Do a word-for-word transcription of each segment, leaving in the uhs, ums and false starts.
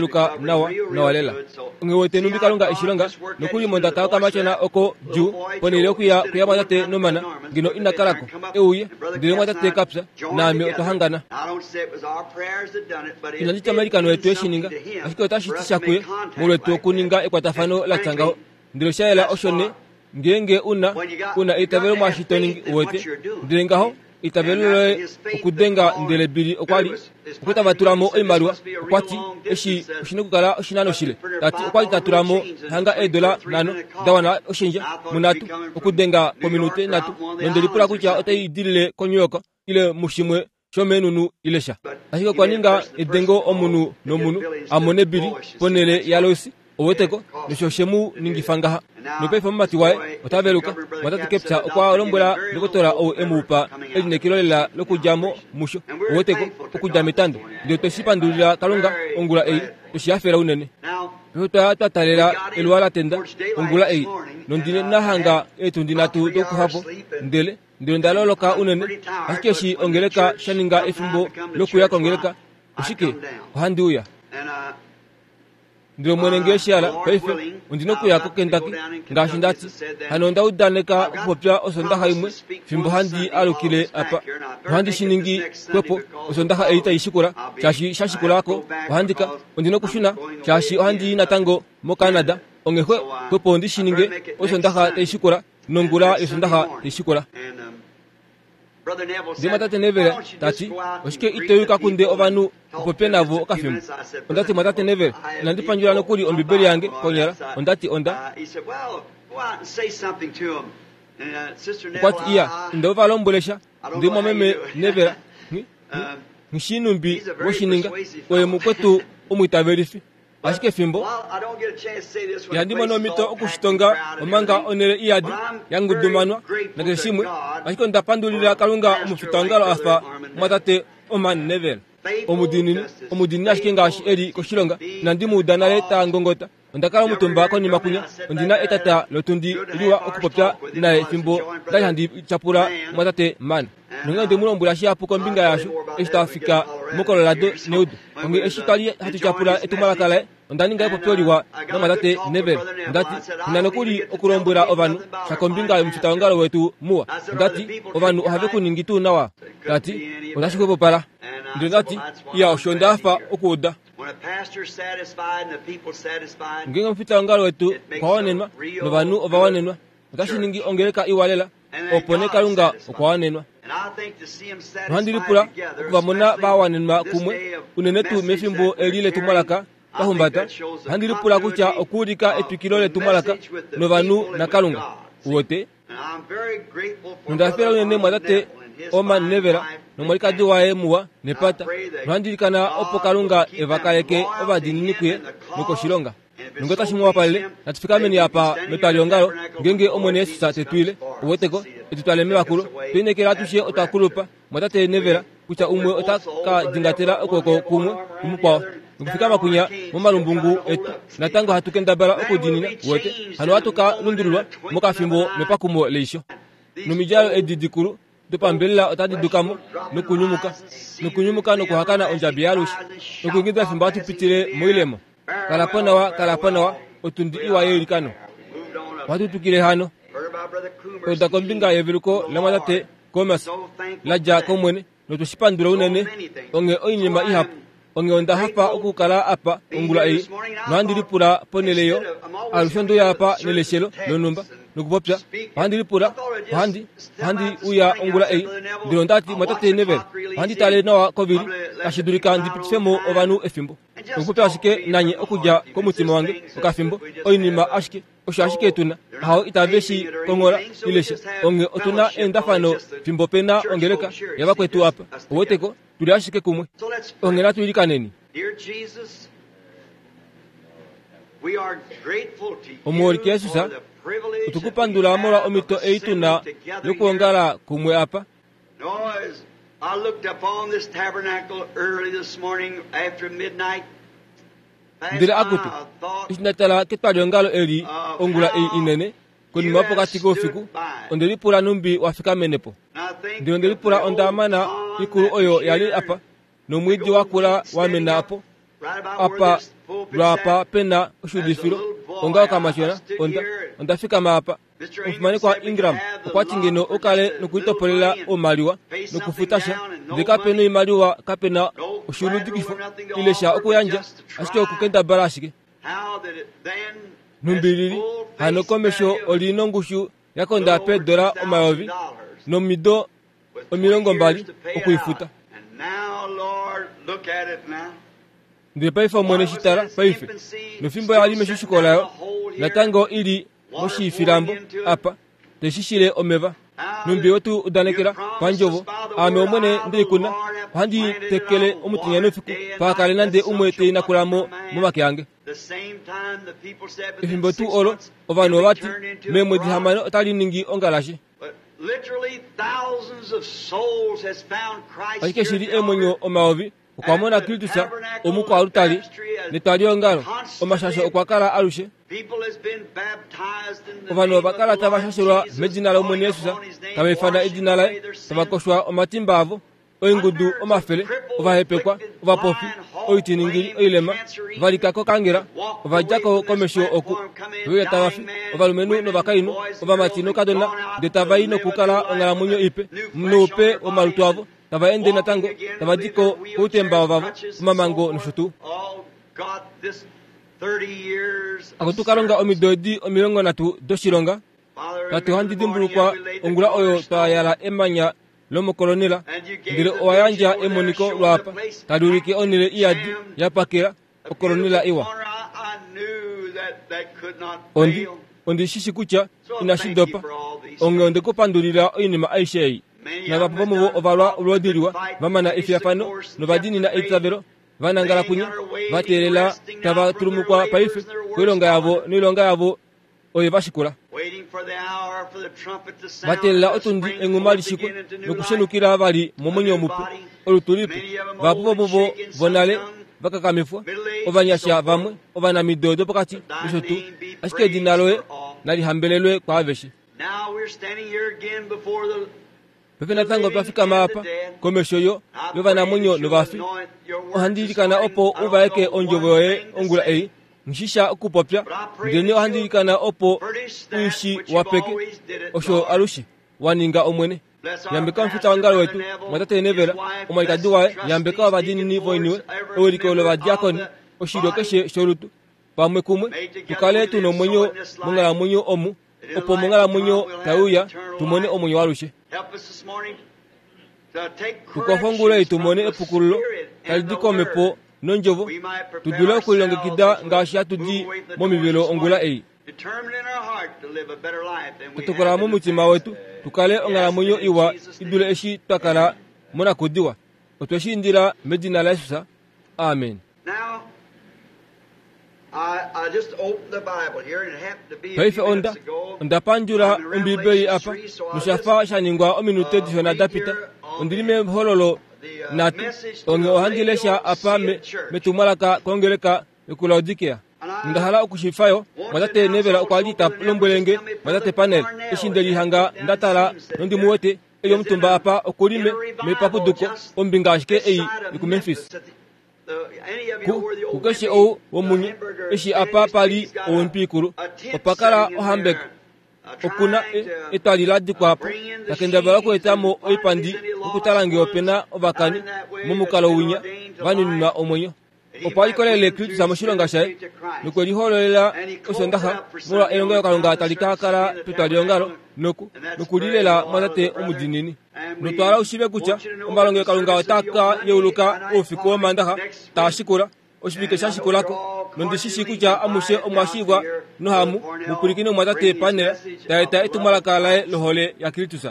veluka nawa nawa lela. Onge wete numbi Kalunga eshilonga nokuli mondaka yokamatyona oko djuu ponhele yokuya kuya mwatate Norman ngeno ina kalako euye ndele mwatate kapya naame otwa hangana. Inandi tya omailikano etu eshininga, ashike otashi ti sha kuye molwetu okuninga ekwatafano latya ngaho. Ndele osha yela osho ne ngeenge una una eitavelo mwaashi to ningi uwete, ndele ngaho eitavelo loye okudenga. Ndele Billy okwa li okwa tava tula mo oimaliwa, okwa ti eshi oshina okukala oshinano shile, tati okwa li ta tula mo hanga eedola nhano da wana oshendja munhatu okudenga pominute nhatu, nonde lipula kutya otai dilile koNew York ile mushimwe shomeenunu ile sha. Ashike okwa ninga edengo omunhu nomunhu a mone Billy ponhele yaLois oweteko nosho shemu ningifa ngaha. Nopaife omumati waye ota veluka. Mwatate Kepcha okwa lombwela ndokotola ou e mu pa elineekelo lela lokudja mo musho oweteko okudja metando. Ndele tweshi pandulila Kalunga ongula ei, tweshi hafela unene. Paife twa talela eluwa la tenda ongula ei, nondine nahanga eetundi nhatu dokuxwapo, ndele ndele onda loloka unene. Ashike eshi ongeleka sha ninga efimbo lokuya kongeleka, oshike ohandi uya. Ndele Omwene ngee shi hala paife ondina okuya koKentucky ngaashi ndati. Hano onda udaneka okupopya osondaxa imwe fimbo handi alukile apa. Ohandi shi ningi xwepo osondaxa ei tai shikula, shaashi sha shikula ko ohandi ka ondina okushuna shaashi ohandi i natango moCanada. Onghee xwepo ondi shi ninge osondaxa tai shikula nongula yosondaxa tai shikula. Ndele mwatate Neville tati, oshike ito yuka kunde ovanhu upopye navo okafimbo? Ondati mwatate Neville, inandi pandjula nokuli Ombibeli yange konyala. Ondati onda. Okwati iya, inda uva lombwele sha. Ndele mwameme Neville, nghishinumbi woshininga, oye mukwetu omwiitavelifi. Ashike fimbo ihandi mono omhito okushitonga omanga onhele iyadi yangudumanwa nakeshe shimwe. Ashike onda pandulila Kalunga omufitaongalo afa mwatate Orman Neville. Omudiinini, omudiinini ashike ngaashi eli koshilonga. Inandi mu uda nale ta ngongota. Onda kala omutumba konima kunya, ondina etata lotundi liwa okupopya naye fimbo ndali handi tyapula mwatate Man. Nonghee onde mu lombwela shihapu kombinga yaasho eshi twafika moColorado neudo. Onghee eshi twali hatu tyapula etumwalaka laye, onda ninga epopyo liwa namwatate Neville. Ondati, ina nokuli okulombwela ovanhu sha kombinga yomufitaongalo wetu muwa. Ondati, ovanhu ohave ku ningi tuu nawa. Tati, otashi xwepopala. Ndele ndati, iya osho onda hafa okuuda. Ngeenge omufitaongalo wetu okwa wanenwa novanhu ova wanenwa, otashi ningi ongeleka iwa lela, opo nee Kalunga okwa wanenwa. Nohandi lipula okuvamona va wanenwa kumwe, unene tuu mefimbo eli letumwalaka twa humbata. Ohandi lipula kutya okuulika etwikilo letumwalaka novanhu naKalunga. Uwete? Nonda hafela unene mwatate Orman Neville nomwalikadi waye muwa nepata. Nohandi ilikana opo Kalunga eva kaleke ovadiinini kuye nokoshilonga. Nonge otashi mu wapalele, natu fikameni apa metwaliongalo ngeenge Omwene Jesus te tu ile. Uweteko, etu twale mevakulo. Twe lineekela atushe otwa kulupa, mwatate Neville, kutya umwe ota ka dingatela okwooko kumwe kumukwao. Nokufikama kunya momalumbungu etu, natango hatu kendabala okudiinina. Uwete, hano ohatu ka lundululwa mokafimbo mepakumo leisho. Nomidjalo edi dikulu dopambelela otadi dukamo nokunyumuka, nokunyumuka nokuhakana ondjabi yaalushe, nokuingida fimbo hatu pitile moilemo. Kala po nawa, kala po nawa, otundi iwa yeilikano. Ohatu twikile hano. Oda kombinga yeveluko lamwatate Comas la dja kOmwene, notwe shi pandula unene. Onghee oinima ihapu. Onghee onda hafa okukala apa ongula ei, nohandi lipula ponhele yo alushe onde uya apa neleshelo lonhumba nokupopya. Ohandi lipula, ohandi, ohandi uya ongula ei, ndele ondati mwatate Neville, ohandi tale nawa kovili, tashi dulika ndi pitife mo ovanhu efimbo. Nokupopya ashike nanye okudja komutima wange okafimbo, oinima ashike, osho ashike tuna, hao itave shi konghola ile sha. Onghee otuna eendafano fimbo pe na ongeleka yavakwetu apa. Uweteko, tuli ashike kumwe. Onghee natu ilikaneni. Omuholike Jesus, otukupandula molwa omhito ei tuna yokuongala kumwe apa. I looked upon this tabernacle early this morning after midnight. Ndele akutu, eshi nda tala ketwaliongalo eli ongula ei inene, konima yopokati koufiku, onde lipula numbi wa fikamene po. Ndele onde lipula onda mana ikulu oyo yali apa, nomwiidi wakula wamena apo, apa lwaapa pena oshuudifilo, onga okamatyona, onda, onda fikama apa. Omufimanekwa Ingram okwati ngeno okale nokulitopolela oimaliwa nokufuta sha, ndele kape noimaliwa, kape na oshuuludikifo ile sha okuyandja, ashike okukendabala ashike. Numbilili hano komesho oli nongushu yakonda peedola omayovi nomido omilongo mbali okuifuta. Ndele paife Omwene shi tala paife, nofimbo yali meshushiko layo, natango ili moshiifilambo apa, teshishile omeva. Numbi wetu udanekela pandjovo, aame Omwene ndeikuna, Ohandi tekele omutenya noufiku paha nande umwe te inakula mo momake ange. Efimbo tuu olo ovanhu ovati meemwedi hamano otali ningi ongalashe. Ashike shili eemwenyo omayovi okwa mona Kristus omukwaalutali netwaliongalo omashasho okwa kala alushe. Ovanhu ova kala tava shashelwa medina lOmwene Jesus, tava ifana edina laye, tava koshwa omatimba avo, oingudu omafele, ovahepekwa, ovapofi, oitiningili, oilema, valika kokangela, ovadja ko komesho oku veuya tava fi, ovalumenhu novakainhu, ovamati noukadona, ndele tava i nokukala onghalamwenyo ipe, noupe womalutu avo, tava ende natango, tava di ko koutemba vavo, omamango nosho tuu. Akutu Kalunga omido edi omilongo nhatu doshilonga, Tate ohandi dimbulukwa ongula oyo twa yala emanya lomokolonela, ndele owa yandja emoniko lwaapa tali ulike onhele iyadi ya pakela okolonela iwa. Ondi ondi shishi kutya inashi dopa, onghee onde ku pandulila oinima aishe ei. Navapo vomuvo ovalwa olwoodi liwa, va mana efiyafano novadiinina eitavelo, va nangala kunya, va teelela tava tulumukwa paife koilonga yavo noilonga yavo oye va shikula. Va teelela otundi enghuma lishikwe nokushenukila vali momwenyo mupe olutu lipe. Vahapu vomuvo vonale vakakamifwa, ovanyasha vamwe, ovanamido dopokati nosho tuu, ashike edina loye nali hambelelwe kwaaveshe. Paife natango twa fikama apa komesho yo yovanamwenyo novafi. Ohandi ilikana opo u vaeke ondjovo yoye ongula ei, nghishisha okupopya, ndele ohandi ilikana opo uishi wapeke osho alushe wa ninga Omwene. Yambeka omufita wongalo wetu, mwatate Nevela, omwalikadi waye, yambeka ovadiinini voiniwe, ewiliko lovadiakoni, oshilyo keshe sholutu, pamwe kumwe tukale tuna omwenyo monghalamwenyo omu, opo monghalamwenyo tai uya tumone omwenyo walushe. Tukwafa ongula ei tumone epukululo tali di komhepo nondjovo, tu dule okulilongekida ngaashi hatu di momivelo ongula ei. Tutokola momutima wetu tukale onghalamwenyo iwa i dule eshi twa kala monakudiwa. Otwe shi indila medina laJesus. Amen. Paife onda onda pandjula Ombibeli apa noshafa sha ningwa ominute dishona da pita. Ondili mehololo nhatu, onghee ohandi lesha apa me metumwalaka kongeleka yokuLaodikea. Onda hala okushifayo mwatate Nevela okwa li ta lombwele nge mwatate Panel eshi nde lihanga nda tala nondi mu wete eli omutumba apa okuli me mepapuduko ombinga ashike ei yokuMemphis. Ku kukeshe ou womunye eshi apa pali owimpi ikulu opa kala ohambeka okuna etwali la dikwa po takendabala okueta mo oipandi okutala ngee opena ovakani momukalo winya vanuninwa omwenyo. Opo alikolele Kristus moshilonga shaye nokwe lihololela Osondaxa molwa elongelokalunga tali ka kala petwaliongalo noku nokulilela mwatate omudiinini. Notwala ushive kutya omalongelokalunga otaa ka yeuluka oufiku wOmandaxa taa shikula oshivike sha shikulako, nondishishi kutya amushe omwa shiivwa nohamu mupwilikine mwatate Panel ta eta etumwalaka laye lohole yaKristus.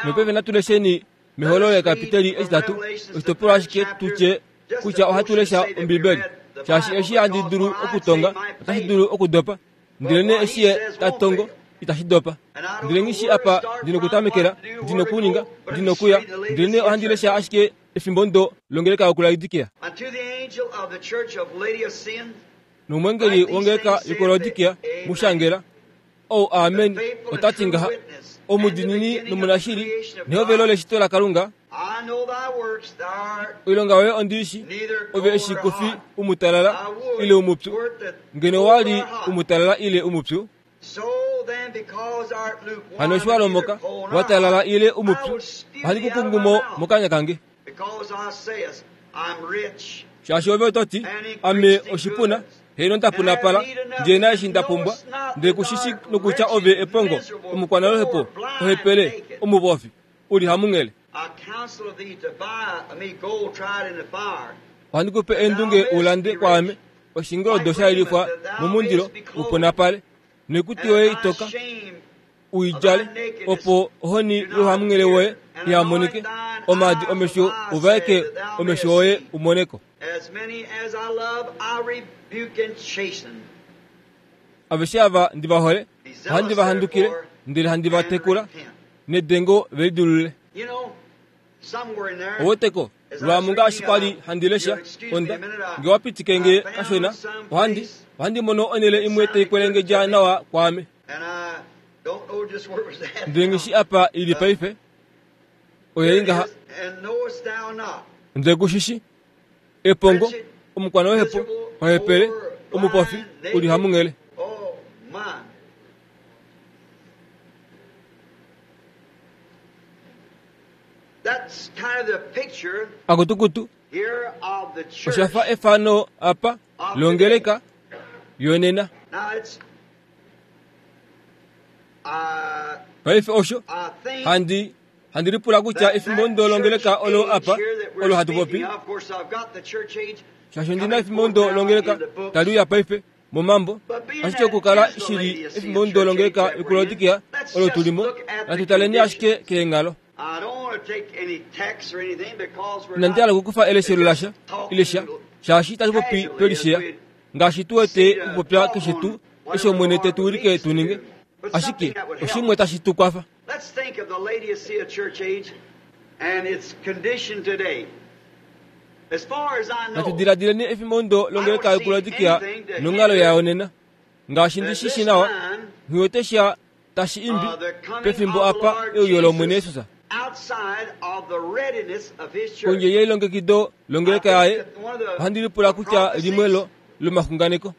Nopaife natu lesheni mehololo lekapiteli etitatu, oshitopolwa ashike tutye kutya ohatu lesha Ombibeli, shaashi eshi handi dulu okutonga otashi dulu okudopa, ndelenee eshi ye ta tongo itashi dopa. Ndele nghi shi apa ndi nokutamekela, ndi nokuninga, ndi nokuya, ndelenee ohandi lesha ashike efimbo ndo longeleka yokuLaodikea. Nomwengeli wongeleka yokuLaodikea mu shangela, ou Amen ota ti ngaha, omudiinini nomunashili, nehovelo leshito laKalunga, oilonga yoye ondi i shi, ove eshi ku fi umutalala ile umupyu, ngeno wa li umutalala ile umupyu. Hano eshi wa lomoka, wa talala ile umupyu, ohandi ku kungu mo mokanya kange. Shaashi ove oto ti, ame oshipuna, heeno nda punapala, ndee na eshi nda pumbwa, ndele ku shi shi nokutya ove epongo, omukwanaluhepo, ohepele, omupofi, uli hamunghele. Ohandi ku pe eendunge u lande kwaame oshingoldo sha yelifwa momundilo u punapale, noikutu yoye itoka u i djale, opo ohoni youhamunghele woye iha monike omaadi omesho uvaeke omesho oye umoneko. Aveshe ava ndi vahole ohandi vahandukile ndele handi vatekula nedengo velidulule. Oweteko lwaamu ngaashi kwali handi lesha onda nge wapitike nge kashona ohandi ohandi mono onele imwe taikwelengedja nawa kwaame. Ndele ngishi apa ili paife oyeli ngaha ndele kushishi epongo omukwana wehepo ohepele omupofi uli hamunghele. Akutukutu oshafa efano apa longeleka yonena. Paife osho handi handi lipula kutya efimbo ndo longeleka olo apa olo hatu popi shasho ndina efimbo ndo longeleka taliuya paife momambo ashike okukala shili efimbo ndo longeleka yokulodikia olo tulimo natutaleni ashike keenghalo. Inandi hala okukufa eleshelo lasha ilesha shaashi tatu popi twelisheya ngaashi tuwete okupopya keshe tuu eshi Omwene tetu wilike tuninge ashike oshimwe tashi tu kwafa. Natudiladileni efimbo ndo longeleka yokulodikia nonghalo yayo nena ngaashi ndishishi nawa nghiwete sha tashi imbi pefimbo apa euyo lOmwene Jesus kondje yeilongekido longeleka yaye ohandi lipula kutya limwe lo lomaxunganeko.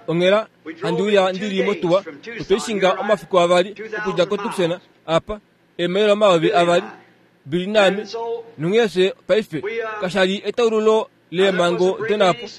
Onghela handi uya ndili motuwa otweishinga omafiku avali okudja koTucson apa eemaila omayovi avali bili naame nonghee fye paife kashali etaululo leemhango donapo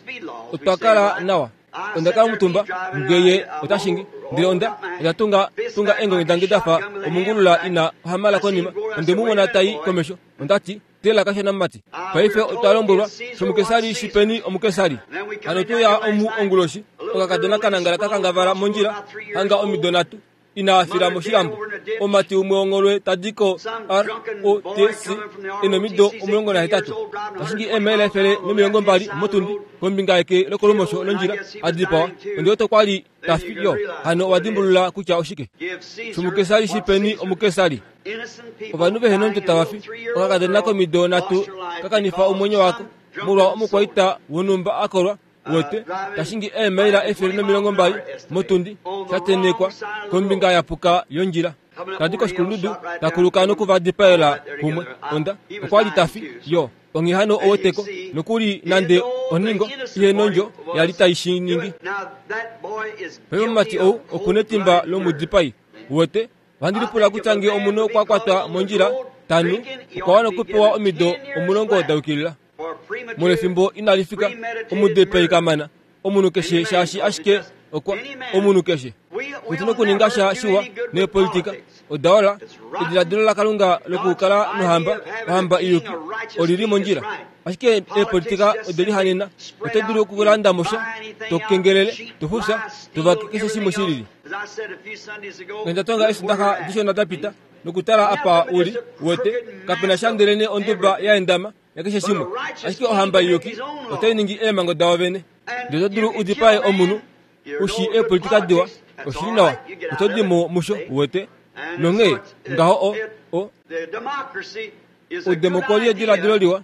otwa kala nawa. Onda kala omutumba ngeye otashingi ndele onda onda tunga tunga eengongi dange dafa omungulula ina ohamala konima onde mumona tai komesho ondati tela kashona mumati. Paife otwa lombwelwa shomukesari shipeni omukesari. Hano tuya omu onguloshi okakadona kanangala kakangavala mondjila hanga omido nhatu inaafila moshilambo omati umwe wongolwe tadiko R O T C enomido omulongo nahetatu tashingi eemaila efele nomilongo mbali motundi kombinga yeke lokolumosho londjila adipawa ondiwete kwali tafi yo hano owadimbulula kutya oshike shomukesari shipeni omukesari. Ovanhu vehena ondjo tavafi okakadona komido nhatu kakanifa omwenyo wako molwa omukwaita wonhumba akolwa wete tashingi eemaila efele nomilongo mbali motundi shatenekwa kombinga yapuka yondjila tadi koshikulundudu takuluka nokuvadipaela kumwe onda okwali tafi yo onghee hano oweteko nokuli nande oningo ihena ondjo yali taishiningi. Paife omumati ou okuna etimba lomudipai wete ohandi lipula kutya nge omunhu okwa kwatwa mondjila tanu okwa wana okupewa omido omulongo dayukilila molwefimbo inalifika omudipai kamana omunhu keshe shaashi ashike okwa omunhu keshe otuna okuninga sha shiwa neepolitika odaola ediladilo laKalunga lokukala nohamba ohamba iyuki olili mondjila ashike eepolitika odelihanena oto dulu okulanda mosha tokengelele tofufya tovake keshe shimwe shilili. Ngenda tonga eshi dishona dapita nokutala apa uli wete kapena sha ndelene onduba yaendama yakeshe shimwe ashike ohamba iyuki otainingi eemhango dawo vene. Ndele oto dulu udipae omunhu ushi eepolitika diwa oshili nawa oto dimo musho wete nonghee ngaho o o udemokoli ediladilo liwa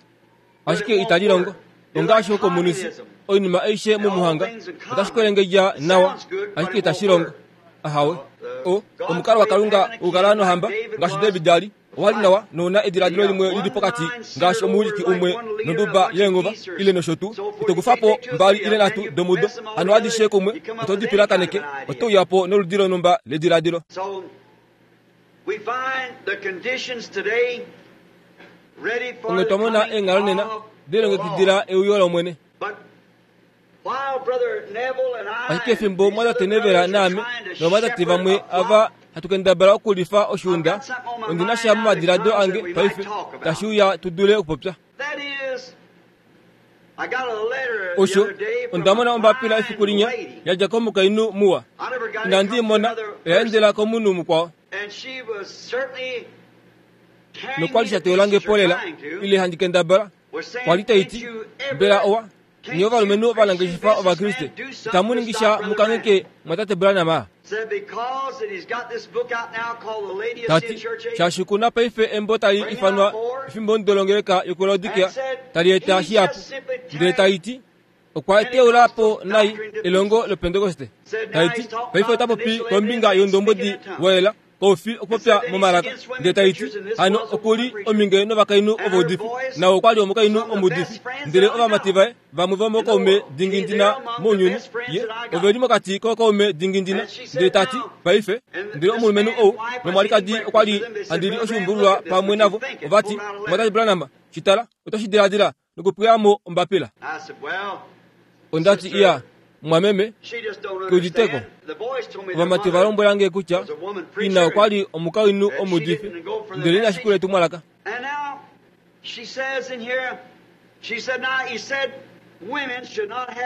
ashike itali longo ongaashi okomunisi oinima aishe momuhanga otashi kwelengedja nawa ashike itashi longo ahawe o omukalo waKalunga ukala nohamba ngaashi David ali owali nawa nouna ediladilo limwe lili pokati ngaashi omuwiliki umwe nonduba yeengova ile nosho tuu itokufapo mbali ile nhatu domudo hano adishe kumwe oto dipilakaneke oto uyapo noludi lonhumba lediladilo. Onge twamona eenghalo nena delongekidila euyo lOmwene. Ashike efimbo mwatate Nevela naame novatate vamwe ava hatu kendabala okulifa oshiunda ondina sha momadiladilo ange paife tashi uya tudule okupopya. Osho ondamona ombapila efiku linya yadja komukainhu muwa inandi imona oya endela komunhu mukwao. Nokwa li sha teyolange polela ile handi kendabala kwa li taiti mbela owa nye ovalumenhu ovanangeshefa ovakriste itamu ningi sha mukangheke mwatate Branham. Tati shaashi kuna paife embo tali ifanwa efimbo ndolongeleka yokuLaodikea tali eta shihapu ndele taiti okwa teula po nai elongo lopentekoste. Taiti paife ota popi kombinga yondombwedi woyela koufi okupopya momalaka ndele taiti hano okuli ominge novakainhu ovaudifi nawo okwali omukainhu omuudifi ndele ovamati vaye vamwe vomokaume dingindina mounyuni ye oveli mokati kokaume dingindina ndele tati paife ndele omulumenhu ou nomwalikadi okwali handili oshiumbululwa pamwe navo ovati mwatate Branham shitala otoshi diladila nokupweyamo ombapila. Ondati iya mwameme keuditeko ovamati valombwelange kutya ina okwali omukainhu omuudifi ndele ina shikula etumwalaka.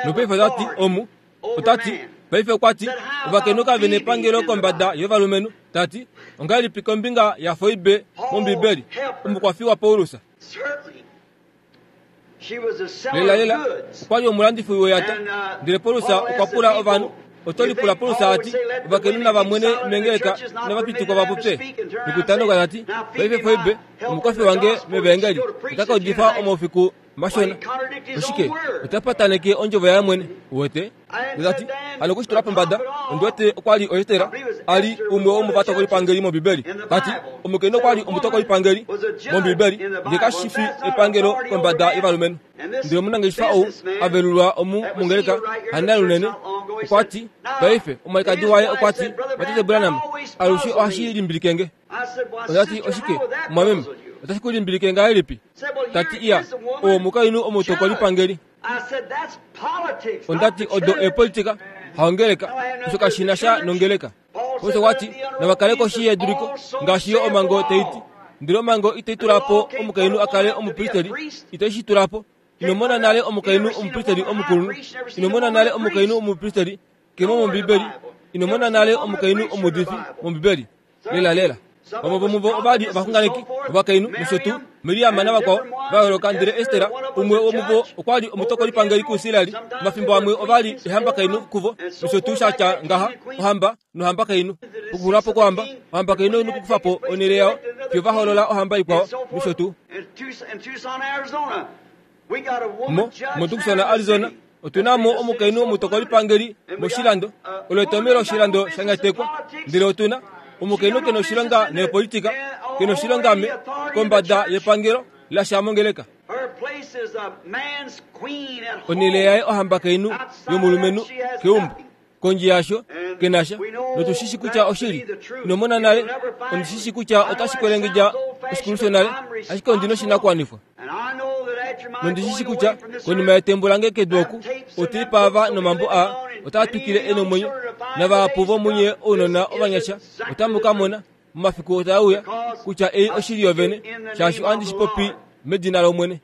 Nopaife otati omu otati paife okwati ovakainhu kave epangelo kombada yovalumenhu. Tati ongahelipi kombinga yaFoibe mOmbibeli omukwafi waPaulus. Lela lela okwali omulandifi weyata ndele Paulus okwa pula ovanhu otolipula Paulus ati ovakainhu navamwene mengeleka navapitikwa vapopye. Nokutanoka tati paife Foibe omukwafi wange mevangeli otaka udifa omaufiku mashona oshike otapataneke ondjovo yaye mwene uwete. Tati hano okushitula pombada ondiwete okwali oEstera ali umwe womovatokolipangeli mOmbibeli. Tati omukainhu okwali omutokolipangeli mOmbibeli ndele kashifi epangelo kombada yovalumenhu. Ndele omunangeshefa ou avelulwa omu mongeleka hanali unene okwati paife omwalikadi waye okwati mwatate Branham alushe ohashi limbilikenge. Ondati oshike mwameme otashi ku limbilike ngahelipi? Tati iya oo omukainhu omutokolipangeli. Ondati odo epolitika haongeleka osho kashina sha nongeleka. Paulus okwati navakale koshi yeduliko ngaashi yo omango taiti ndele omango itayi tulapo omukainhu akale omupristeli itayi shi tulapo. Inomona nale omukainhu omupristeli omukulunhu, inomona nale omukainhu omupristeli kemo mOmbibeli, inomona nale omukainhu omuudifi mOmbibeli. Lela lela vamwe vomuvo ovali ovaxunganeki ovakainhu nosho tuu Miriam navakwao va yooloka ndele Estera umwe womuvo okwali omutokolipangeli kuIsraeli. Omafimbo amwe ovali ehambakainhu kuvo nosho tuu shatya ngaha ohamba nohambakainhu. Pokuxulapo kwohamba ohambakainhu nokukufapo onhele yao fiyo va hoolola ohamba ikwao nosho tuu. Mo moTucson Arizona otuna mo omukainhu omutokolipangeli moshilando olo etomelo oshilando shanyatekwa ndele otuna omukainhu kena oshilonga nepolitika kena oshilonga me kombada yepangelo lasha mongeleka. Onhele yaye ohambakainhu yomulumenhu keumbo kondje yasho kenasha notushishi kutya oshili inomona nale ondishishi kutya otashi kwelengedja oshikuluso nale ashike ondina oshinakuwanifwa. Nondishishi kutya konima yetembo lange kedu oku oteipa ava nomambo a otaa twikile enomwenyo navahapu vomunye ounona ovanyasha otamu ka mona momafiku otaauya kutya ei oshili yovene shaashi ohandi shi popi medina lOmwene.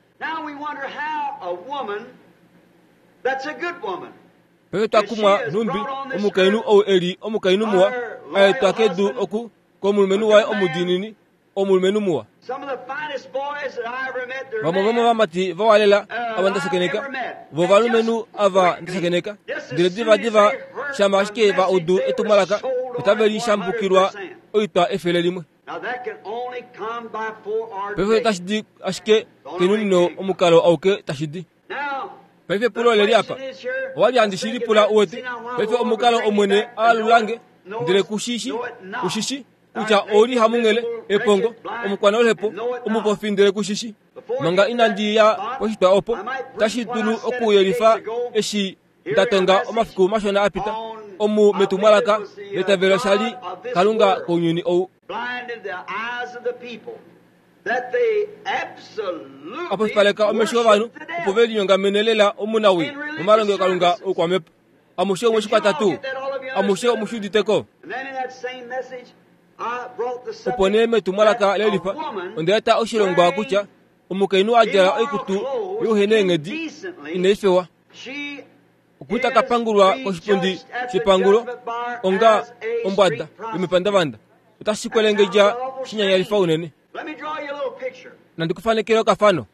Paife twakumwa nhumbi omukainhu ou eli omukainhu muwa aetwa kedu oku komulumenhu waye omudiinini omulumenhu muwa. Vamwe vomovamati vawalela ava ndasakeneka vo valumenhu ava ndasakeneka ndele divadiva shama ashike va udu etumwalaka otave lishambukilwa oitwa efele limwe. Paife otashi di ashike kenunino omukalo auke tashi di. Paife pulo leli apa owali handi shi lipula uwete. Paife omukalo omwene aalulange ndele kushishi kushishi kutya oli hamunghele epongo omukwanoluhepo omupofi ndele kushishi. Manga inandi ya poshitwa opo tashi dulu okuyelifa eshi ndatonga omafiku mashona apita omu metumwalaka letavelo shali Kalunga kounyuni ou. Apofipaleka omesho ovanhu opo ve linyongamene lela omunawi momalongo Kalunga oukwamepo. Amushe omweshikwata tuu amushe omushuditeko. Opo nee metumwalaka lelifa onde eta oshilongwa kutya omukainhu adjala oikutu youhena eenghedi inai fewa okuta kapangulwa koshipundi shepangulo onga ombwada yomepandavanda otashi kwelengedja shinyanyalifa unene. Nandi kufanekele okafano.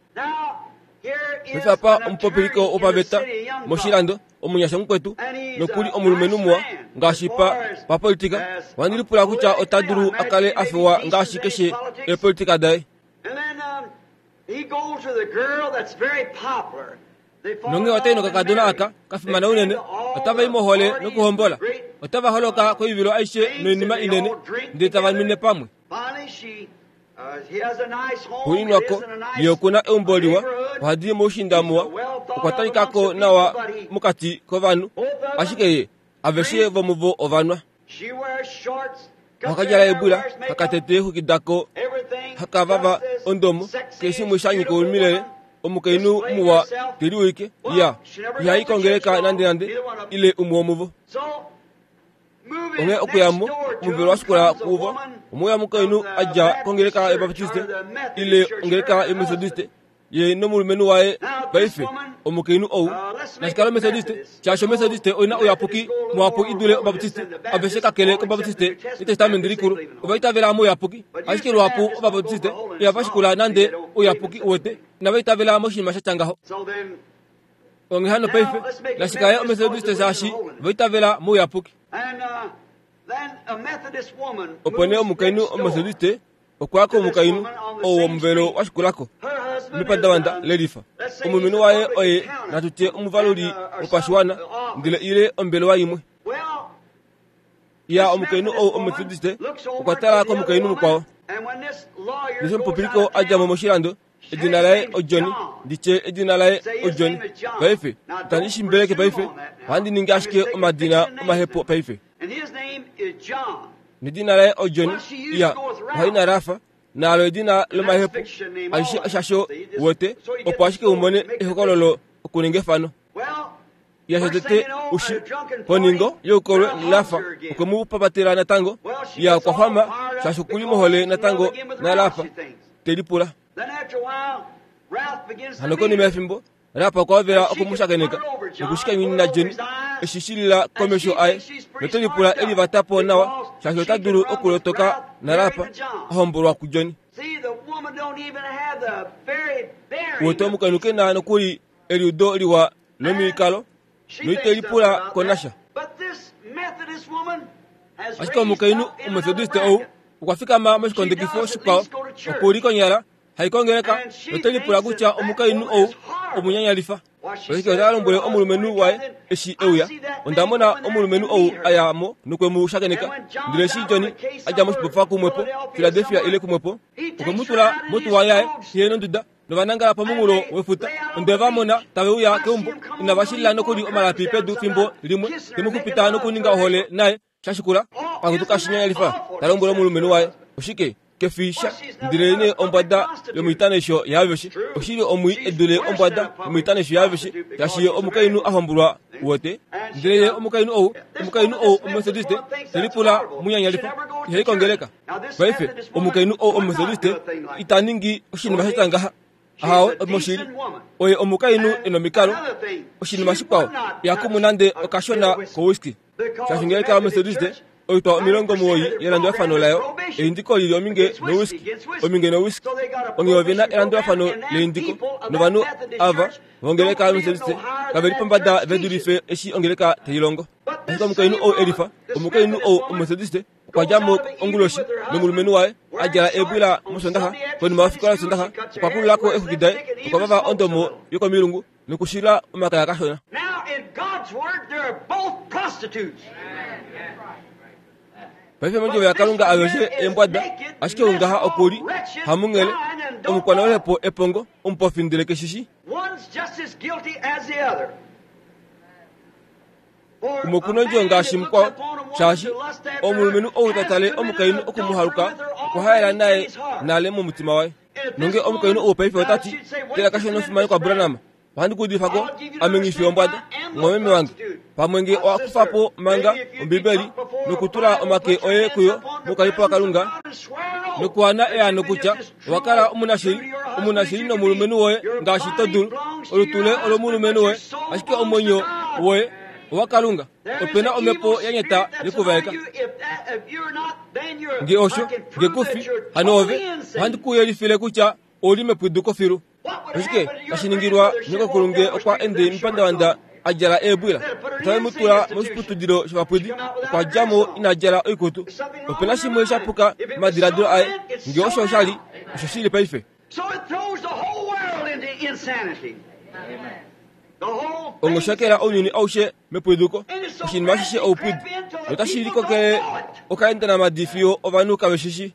Paife apa omupopiliko wopaveta moshilando omunyasha mukwetu nokuli omulumenhu muwa ngaashi pa papolitika. Ohandi lipula kutya ota dulu a kale a fewa ngaashi keshe eepolitika daye. Nonge otai nokakadona aka kafimana unene, otava i mohole nokuhombola. Otava holoka koivilo aishe noinima inene, ndele tava nwine pamwe. Xuuninwako, ye okuna eumbo liwa, ohadi moushiinda muwa, okwa talikako nawa mokati kovanhu, ashike ye aveshe vomuvo ovanwa. Ohakadjala eebwila, hakatete eexwiki dako, hakavava ondomo, keshe shimwe sha nyika omilele. Omukainhu muwa teliwike, ya ihai kongeleka nande nande ile umwe womuvo. Onghee okuyamo omuvelo wa shikula kuvo, omwe omukainhu adja kongeleka yObaptiste ile ongeleka yOmethodiste, ye nomulumenhu waye paife omukainhu ou nashikala Omethodiste, shaashi Omethodiste oina ouyapuki muhapu i dule Obaptiste. Aveshe kakele kObaptiste netestamenti likulu ova itavela mouyapuki, ashike luhapu Obaptiste ihava shikula nande ouyapuki uwete, inava itavela moshinima sha tya ngaho. Onghee hano paife nashikale Omethodiste shaashi ova itavela mouyapuki. Opo nee omukainhu Omethodiste okwa komukainhu ou womuvelo wa shikulako mepandavanda lelifa. Omulumenhu waye oye natutye omuvaluli wopashiwana ndele ile ombelewa imwe. Ya omukainhu ou Omethodiste okwa tala komukainhu mukwao. Ndele omupopiliko a dja mo moshilando, edina laye oJohn, nditye edina laye oJohn. Paife itandi shimbeleke paife, ohandi ningi ashike omadina omahepo paife. Nedina laye oJohn, ya ohai narafa naalo edina lomahepo aishe shasho wote, opo ashike umone ehokololo okuninga efano. Ya tete ushi poningo youkolwe lafa okwe mu papatela natango, ya okwa xwama shaashi okuli mohole natango nalafa telipula. Hano konima yefimbo Rapa okwa hovela okumushakeneka nokushikanyunina John eshi shilila komesho aye, notelipula elivatapo nawa shaashi ota dulu okulotoka naRapa a hombolwa kuJohn. Wote omukainhu ke na nokuli eliudo liwa lomikalo noitelipula konasha. Ashike omukainhu Omethodiste ou okwa fikama moshikondekifo shikwao, okuli konyala haikongeleka notelipula kutya omukainhu ou omunyanyalifa. Ashike ota lombwele omulumenhu waye eshi euya, onda mona omulumenhu ou aya mo nokwe mu shakeneka. Ndele eshi John a dja moshibofa kumwepo Philadelphia ile kumwepo, okwe mu tula motuwa yaye ye nonduda novanangala pomunghulo wefuta. Onde va mona tave uya keumbo, inava shilila nokuli omalapi pedu fimbo limwe, te mu xupita nokuninga ohole naye shashikula. Akutuka shinyanyalifa, ta lombwele omulumenhu waye, oshike kefisha ndele ne ombwada yomoitanesho yaaveshe, oshili omwi edule ombwada yomoitanesho yaaveshe, shaashi omukainhu a hombolwa wote. Ndele ye omukainhu ou omukainhu ou Omethodiste telipula munyanyalifa, ihai kongeleka. Paife omukainhu ou Omethodiste ita ningi oshinima sha ngaha. Ahawe moshili oye omukainhu ena omikalo. Oshinima shikwao ihakumu nande okashona kowiski, shaashi ngele kala Omethodiste oitwa omilongo muwoi yelandulafano layo eindiko lili ominge nowiski, ominge nowiski. Onghee ovena elandulafano leindiko, novanhu ava vongeleka Omethodiste kave li pombada ve dulife eshi ongeleka tai longo. Ashike omukainhu ou elifa, omukainhu ou Omethodiste okwa dja mo onguloshi nomulumenhu waye a djala eebwila mosondaxa. Konima yofikola yosondaxa okwa kululako eexwiki daye, okwa vava ondomo yokomilungu nokushila omakaya kashona. Paife mondjovo yaKalunga aveshe eembwada, ashike ungaha okuli hamunghele omukwanauhepo epongo omupofi ndele keshishi. Umwe okuna ondjo ngaashi mukwao, shaashi omulumenhu ou ta tale omukainhu okumuhaluka okwa haela naye nale momutima waye. Nonge omukainhu ou paife ota ti, tela kashona ofimani kwaBranham, ohandi kuudifako ame nghi fi ombwada, omwameme wange. Pamwe nge owa kufa po manga Ombibeli nokutula omake oye kuyo mokalipo waKalunga nokuwana eano kutya owa kala omunashili, omunashili nomulumenhu woye ngaashi to dulu. Olutu le olomulumenhu woye, ashike omwenyo woye owaKalunga. Opena omhepo ya nyata yekuvaeka. Nge osho, nge kufi, hano ove, ohandi ku yelifile kutya Ouli mepwiduko filu. Oshike tashi ningilwa nyokokulu nge okwa ende mepandavanda a djala eebwila? Otave mu tula moshiputudilo shovapwidi, okwa dja mo ina djala oikutu. Ope na shimwe sha puka momadiladilo aye, nge osho osha li, osho shili paife. Ongoshakela ounyuni aushe mepwiduko, oshinima ashishe oupwidi, notashi likokele okaendanamadi fiyo ovanhu kave shishi.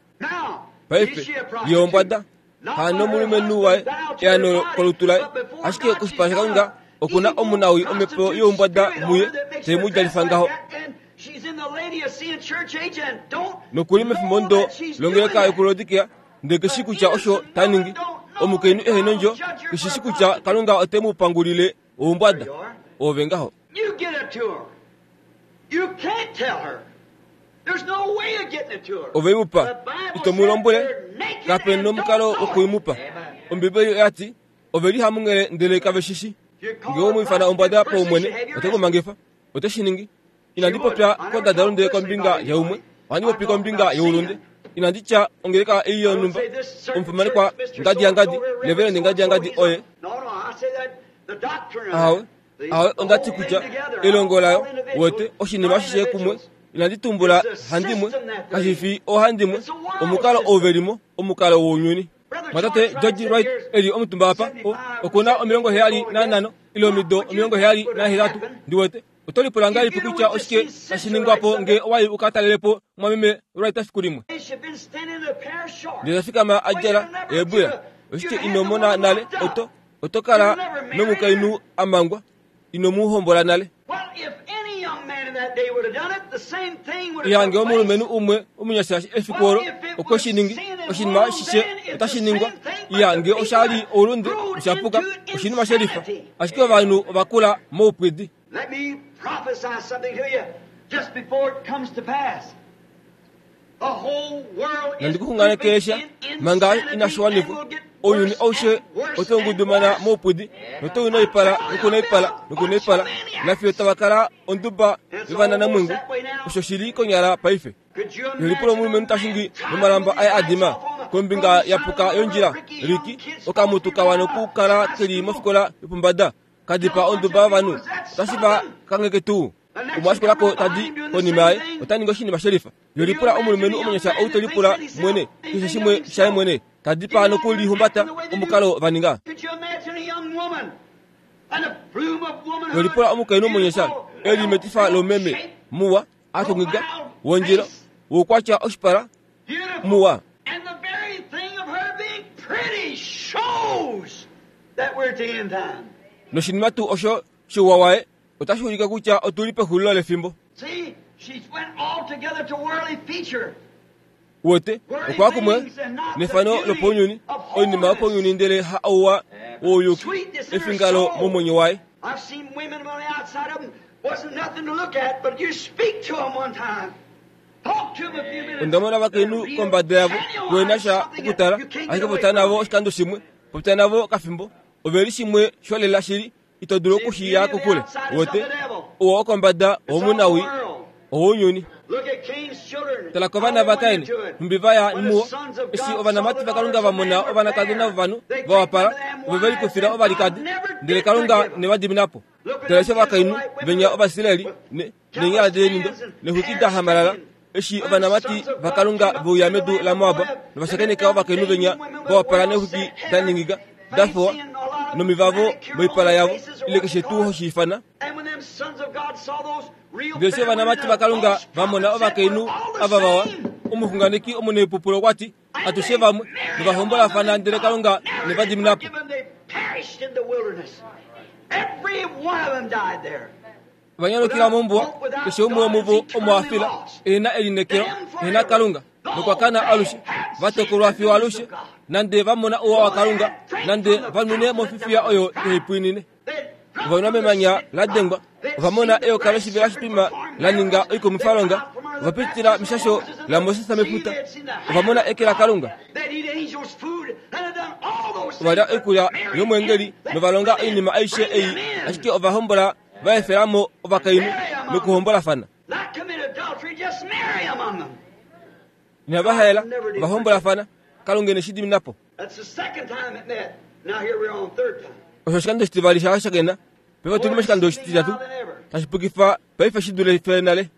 Paife, ye ombwada, hano omulumenhu waye eano kolutu laye, ashike koshipala shaKalunga oku na omunawi omhepo youmbwada muye te mu djalifa ngaho. Nokuli mefimbo ndo longeleka yokuLaodikea, ndele keshi kutya osho ta ningi. Omukainhu ehe nondjo keshi kutya Kalunga ote mu pangulile oumbwada. Ove ngaho. Ove mu pa, ito mu lombwele, kape nomukalo wokuimupa. Ombibeli oya ti, ove li hamunghele ndele kave shishi. Nge owe mu ifana ombwada paumwene, ote ku mangifa. Ote shi ningi. Inandi popya kondadalunde kombinga yaumwe, ohandi popi kombinga youlunde. Inandi tya ongeleka ei yonhumba, omufimanekwa ngadi yangadi, reverend ngadi yangadi oye. Ahawe, ahawe, onda ti kutya elongo layo, wete oshinima ashishe kumwe. Inandi tumbula handimwe, kashi fi oohandimwe, omukalo ou ve limo, omukalo wounyuni. Mwatate George Wright eli omutumba apa, oku na omilongo heyali nanhano ile omido omilongo heyali nahetatu, ndi wete. Oto lipula ngahelipi kutya oshike tashi ningwa po nge owa i u ka talele po mwameme Wright efiku limwe? Ndele ta fikama a djala eebwila. Oshike ino mona nale? Oto, oto kala nomukainhu a mangwa, ino mu hombola nale. Ihange omulumenhu umwe omunyasha efiku olo okwe shi ningi, oshinima ashishe otashi ningwa. Ihange osha li oulunde, osha puka, oshinima shelifa. Ashike ovanhu ova kula moupwidi. Let me prophesy something to you just before it comes to pass. The whole world is Nandikuxunganekesha manga inashi wanifwa. Ounyuni aushe otau ngudumana moupwidi, notau naipala nokunaipala nokunaipala, nafiyo tava kala onduba yovananamwengu. Osho shili konyala paife. Yelipula omulumenhu tashingi nomalamba aye adima kombinga yapuka yondjila, Riki, okamutu kawa nokukala keli mofikola yopombada, kadipa onduba yovanhu, otashi va kangheke tuu. Umwe ashikulako tadi konima yaye, ota ningi oshinima shelifa. Yelipula omulumenhu omunyasha ou te lipula mwene, keshe shimwe shaye mwene, tadipa nokulihumbata omukalo va ninga. Yelipula omukainhu omunyasha eli metifa lomeme, muwa, atongiga, wondjila, woukwatya oshipala, muwa. Noshinima tuu osho shouwa waye otashi ulike kutya otuli pexulilo lefimbo. Wete okwa kumwe nefano lopounyuni, oinima yopounyuni ndele ha ouwa wouyuki, efingalo momwenyo waye. Onda mona ovakainhu kombada yavo kuhena sha okutala, ashike popya navo oshikando shimwe, popya navo kafimbo, ove li shimwe sholela shili, ito dulu okushiya kokule. Wete ouwa wokombada owomunawi owounyuni. Tala kovana vaKain, nhumbi va ya muwo, eshi ovanamati vaKalunga va mona ovanakadona vovanhu va wapala, ove ve likufila ovalikadi, ndele Kalunga ne va dimina po. Tala eshi ovakainhu venya Ovaisraeli neenyala deenindo neexwiki da hamalala, eshi ovanamati vaKalunga ve uya medu laMoab novashakeneka ovakainhu venya va wapala neexwiki da ningiga da fowa nomivavo moipala yavo, ile keshe tuu hoshi ifana. Ndele eshi ovanamati vaKalunga va mona ovakainhu ava vawa, omuxunganeki omunepupulo okwa ti, atushe vamwe novahombolafana, ndele Kalunga ne va dimina po. Vanyalukila mombuwa, keshe umwe womuvo omo a fila, ehena elineekelo, ehena Kalunga, nokwa kana alushe, va tokolwa fiyo alushe, nande va mona ouwa waKalunga, nande va nwine mofifiya oyo ihai pwiinine. Ova nwa memanya la dengwa, ova mona eyoka loshivela shitwima la ninga oikumwifalonga, ova pitila meshasho laMoses mefuta, ova mona eke laKalunga. Ova lya oikulya yomweengeli nova longa oinima aishe ei, ashike ova hombola va efela mo ovakainhu nokuhombolafana. Inava haela, ova hombolafana. Kalunga ine shi dimina po. Osho oshikando oshitivali sha shakena paife otuli moshikando oshititatu tashi pukifa paife shi dule fe nale.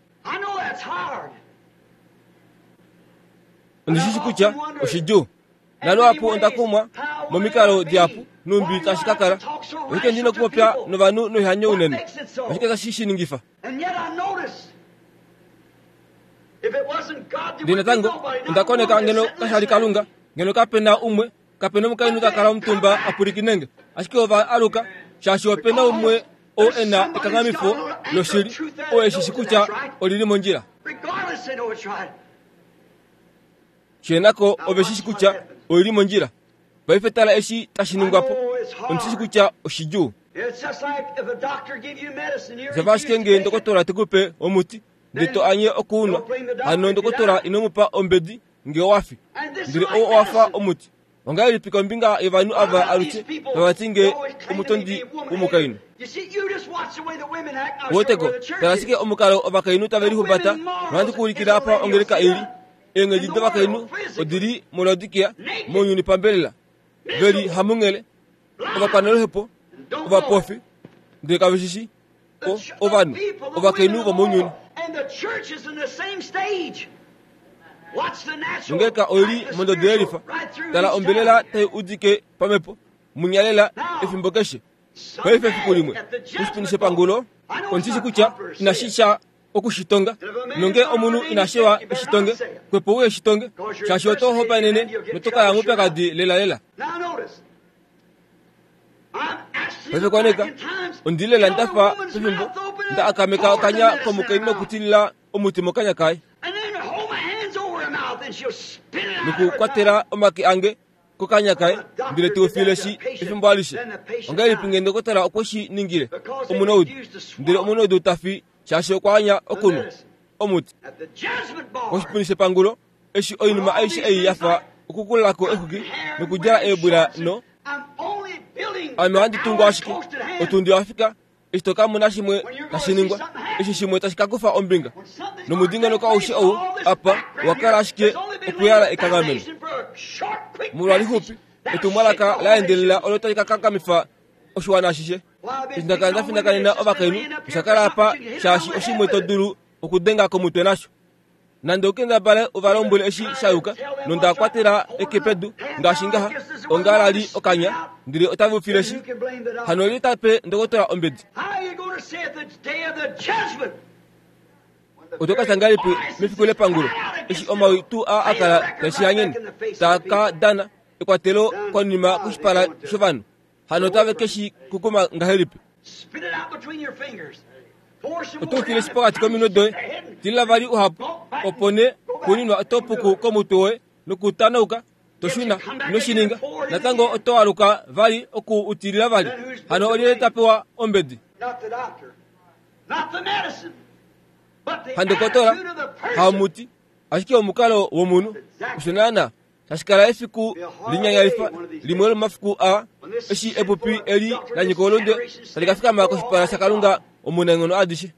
Ondi shi kutya oshidjuu naluhapu onda kumwa momikalo dihapu numbi tashi ka kala oshike ndina okupopya novanhu noihanyo unene oshike tashi shi ningifa. Ndele natango onda koneka ngeno kashali Kalunga ngeno kapena umwe kapena omukainhu ta kala omutumba apwilikine ashike ova aluka shaashi opena umwe oo e na ekanghamifo loshili oo eshi shi kutya olili mondjila. Shenako ove shi shi kutya olili mondjila. Paife tala eshi tashi ningwapo ondi shi kutya oshidjuu. Oshafa ashike ngee ndokotola tekupe omuti ndele to anye okuunwa hano ndokotola inomupa ombedi ngee owafi ndele oo owafa omuti. Ongahelipi kombinga yovanhu ava alushe tavati ngee omutondi womukainhu? Woteko tala ashike omukalo ovakainhu tave lihumbata nohandi kuulikila apa ongeleka ili. Eenghedi dovakainhu odili muLaodikia mounyuni pambelela veli hamunghele ovakwanoluhepo ovapofi ndele kave shi ovanhu ovakainhu vomounyuni. Nongeleka oili mondodo yelifa tala ombelela tai udike pamhepo munyalela efimbo keshe. Paife efiku limwe koshipundi shepangulo ondi shi kutya inashi sha okushitonga nonge omunhu inashewa eshitonge kwepo uye shitonge shaashi oto hopaenene notoka ya moupyakadi lelalela. Paife koneka ondilela ndafa pefimbo nda akameka okanya komukainhu nokutilila omuti mokanya kaye nokukwatela omake ange kokanya kaye ndele teufile shi efimbo alishe. Ongahelipi ngee ndokotola okwe shi ningile omunaudu ndele omunaudu tafi shaashi okwa anya okunwa omuti. Koshipundi shepangulo eshi oinima aishe ei yafa okukulako exuki nokudjala eebwila no ame ohandi tungu ashike otundi wafika eshi toka mona shimwe tashi ningwa eshi shimwe tashi ka kufa ombinga nomudingonoko aushe ou apa wakala ashike okuyala ekanghameno molwa lixupi etumwalaka la endelela olo tali ka kakamifa oshiwana ashishe. Eshi ndakala ndafindakanena ovakainhu oshakala apa shaashi oshimwe to dulu okudenga komutwe nasho nande okendabale ovalombwele eshi shayuka nonda kwatela eke pedu ngaashi ngaha ongalali okanya ndele otave ufile shi hano li tape ndokotola ombedi. Oto ka ngahelipi mefiku lepangulo eshi omawi tuu a akala tashihanyene taka dana ekwatelo konima koshipala shovanhu hano otave keshi kukuma ngahelipi? Oto ufile shi pokati kominwe doye tilila vali uhapu opo nee xuuninwa oto puku komutwe woye nokutanauka toshuna inoshininga natango oto aluka vali oku utilila vali hano olyelye tapewa ombedi? Handokotola hamuti ashike omukalo womunhu osho naana tashi kala efiku linyanyalifa limwe lomafiku a eshi epupi eli la nyika olunde tali ka fikama koshipala shaKalunga omunaenghono adishe.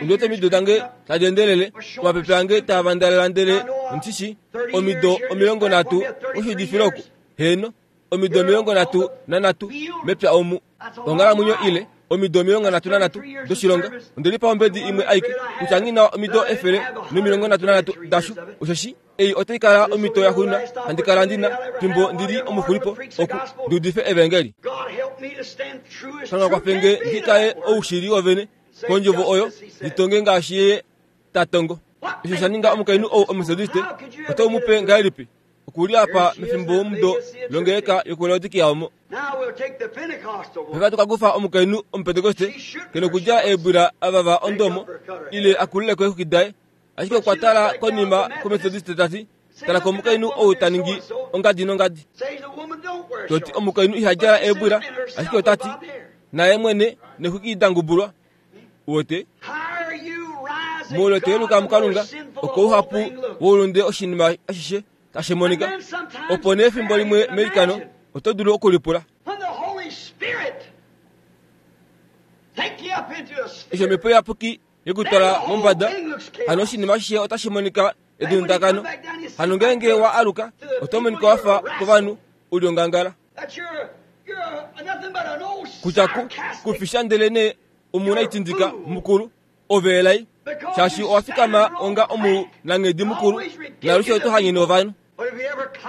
Ondiwete omido dange tadi endelele omapepe ange taa vandalelandele ondishi omido omilongo nhatu oshudifile oku heeno omido omilongo nhatu nanhatu mepya omu onghalamwenyo ile omido omilongo nhatu nanhatu doshilonga ondelipa ombedi imwe aike kutya nghi omido efele nomilongo nhatu nanhatu dasho osheshi ei otai kala omito ya xuuna handi kala ndina fimbo ndili omuxulipo oku ndiudife evangeli. Kalunga kwafenge ndi kale oushili wovene kondjovo oyo nditonge ngaashi ye tatongo. Osho sha ninga omukainhu ou omumetodiste oto mupe ngahelipi okuli apa mefimbo womudo longeleka yokuLaodikia omo. Paife tokakufa omukainhu omupentekoste kena okudjala eebwila avava ondomo ile akulileko eexuki daye ashike okwa tala konima kometodiste tati tala komukainhu ou ta ningi ongadi nongadi. Toti omukainhu iha djala eebwila ashike otati naye mwene nexuki dangubulwa. Uwete muule toyeluka muKalunga oko ouhapu woulunde oshinima ashishe tashi monika opo nee efimbo limwe meilikano oto dulu okulipula. Eshi omhepo iyapuki yekutwala mombada hano oshinima ashishe otashi monika edundakano hano ngeenge wa aluka oto monika wafa kovanhu u li ongangala. Kutya ku kufisha ndele nee omunaitindika mukulu ove elai shaashi owa fikama onga omunanghedi mukulu nalushe oto hanyene ovanhu.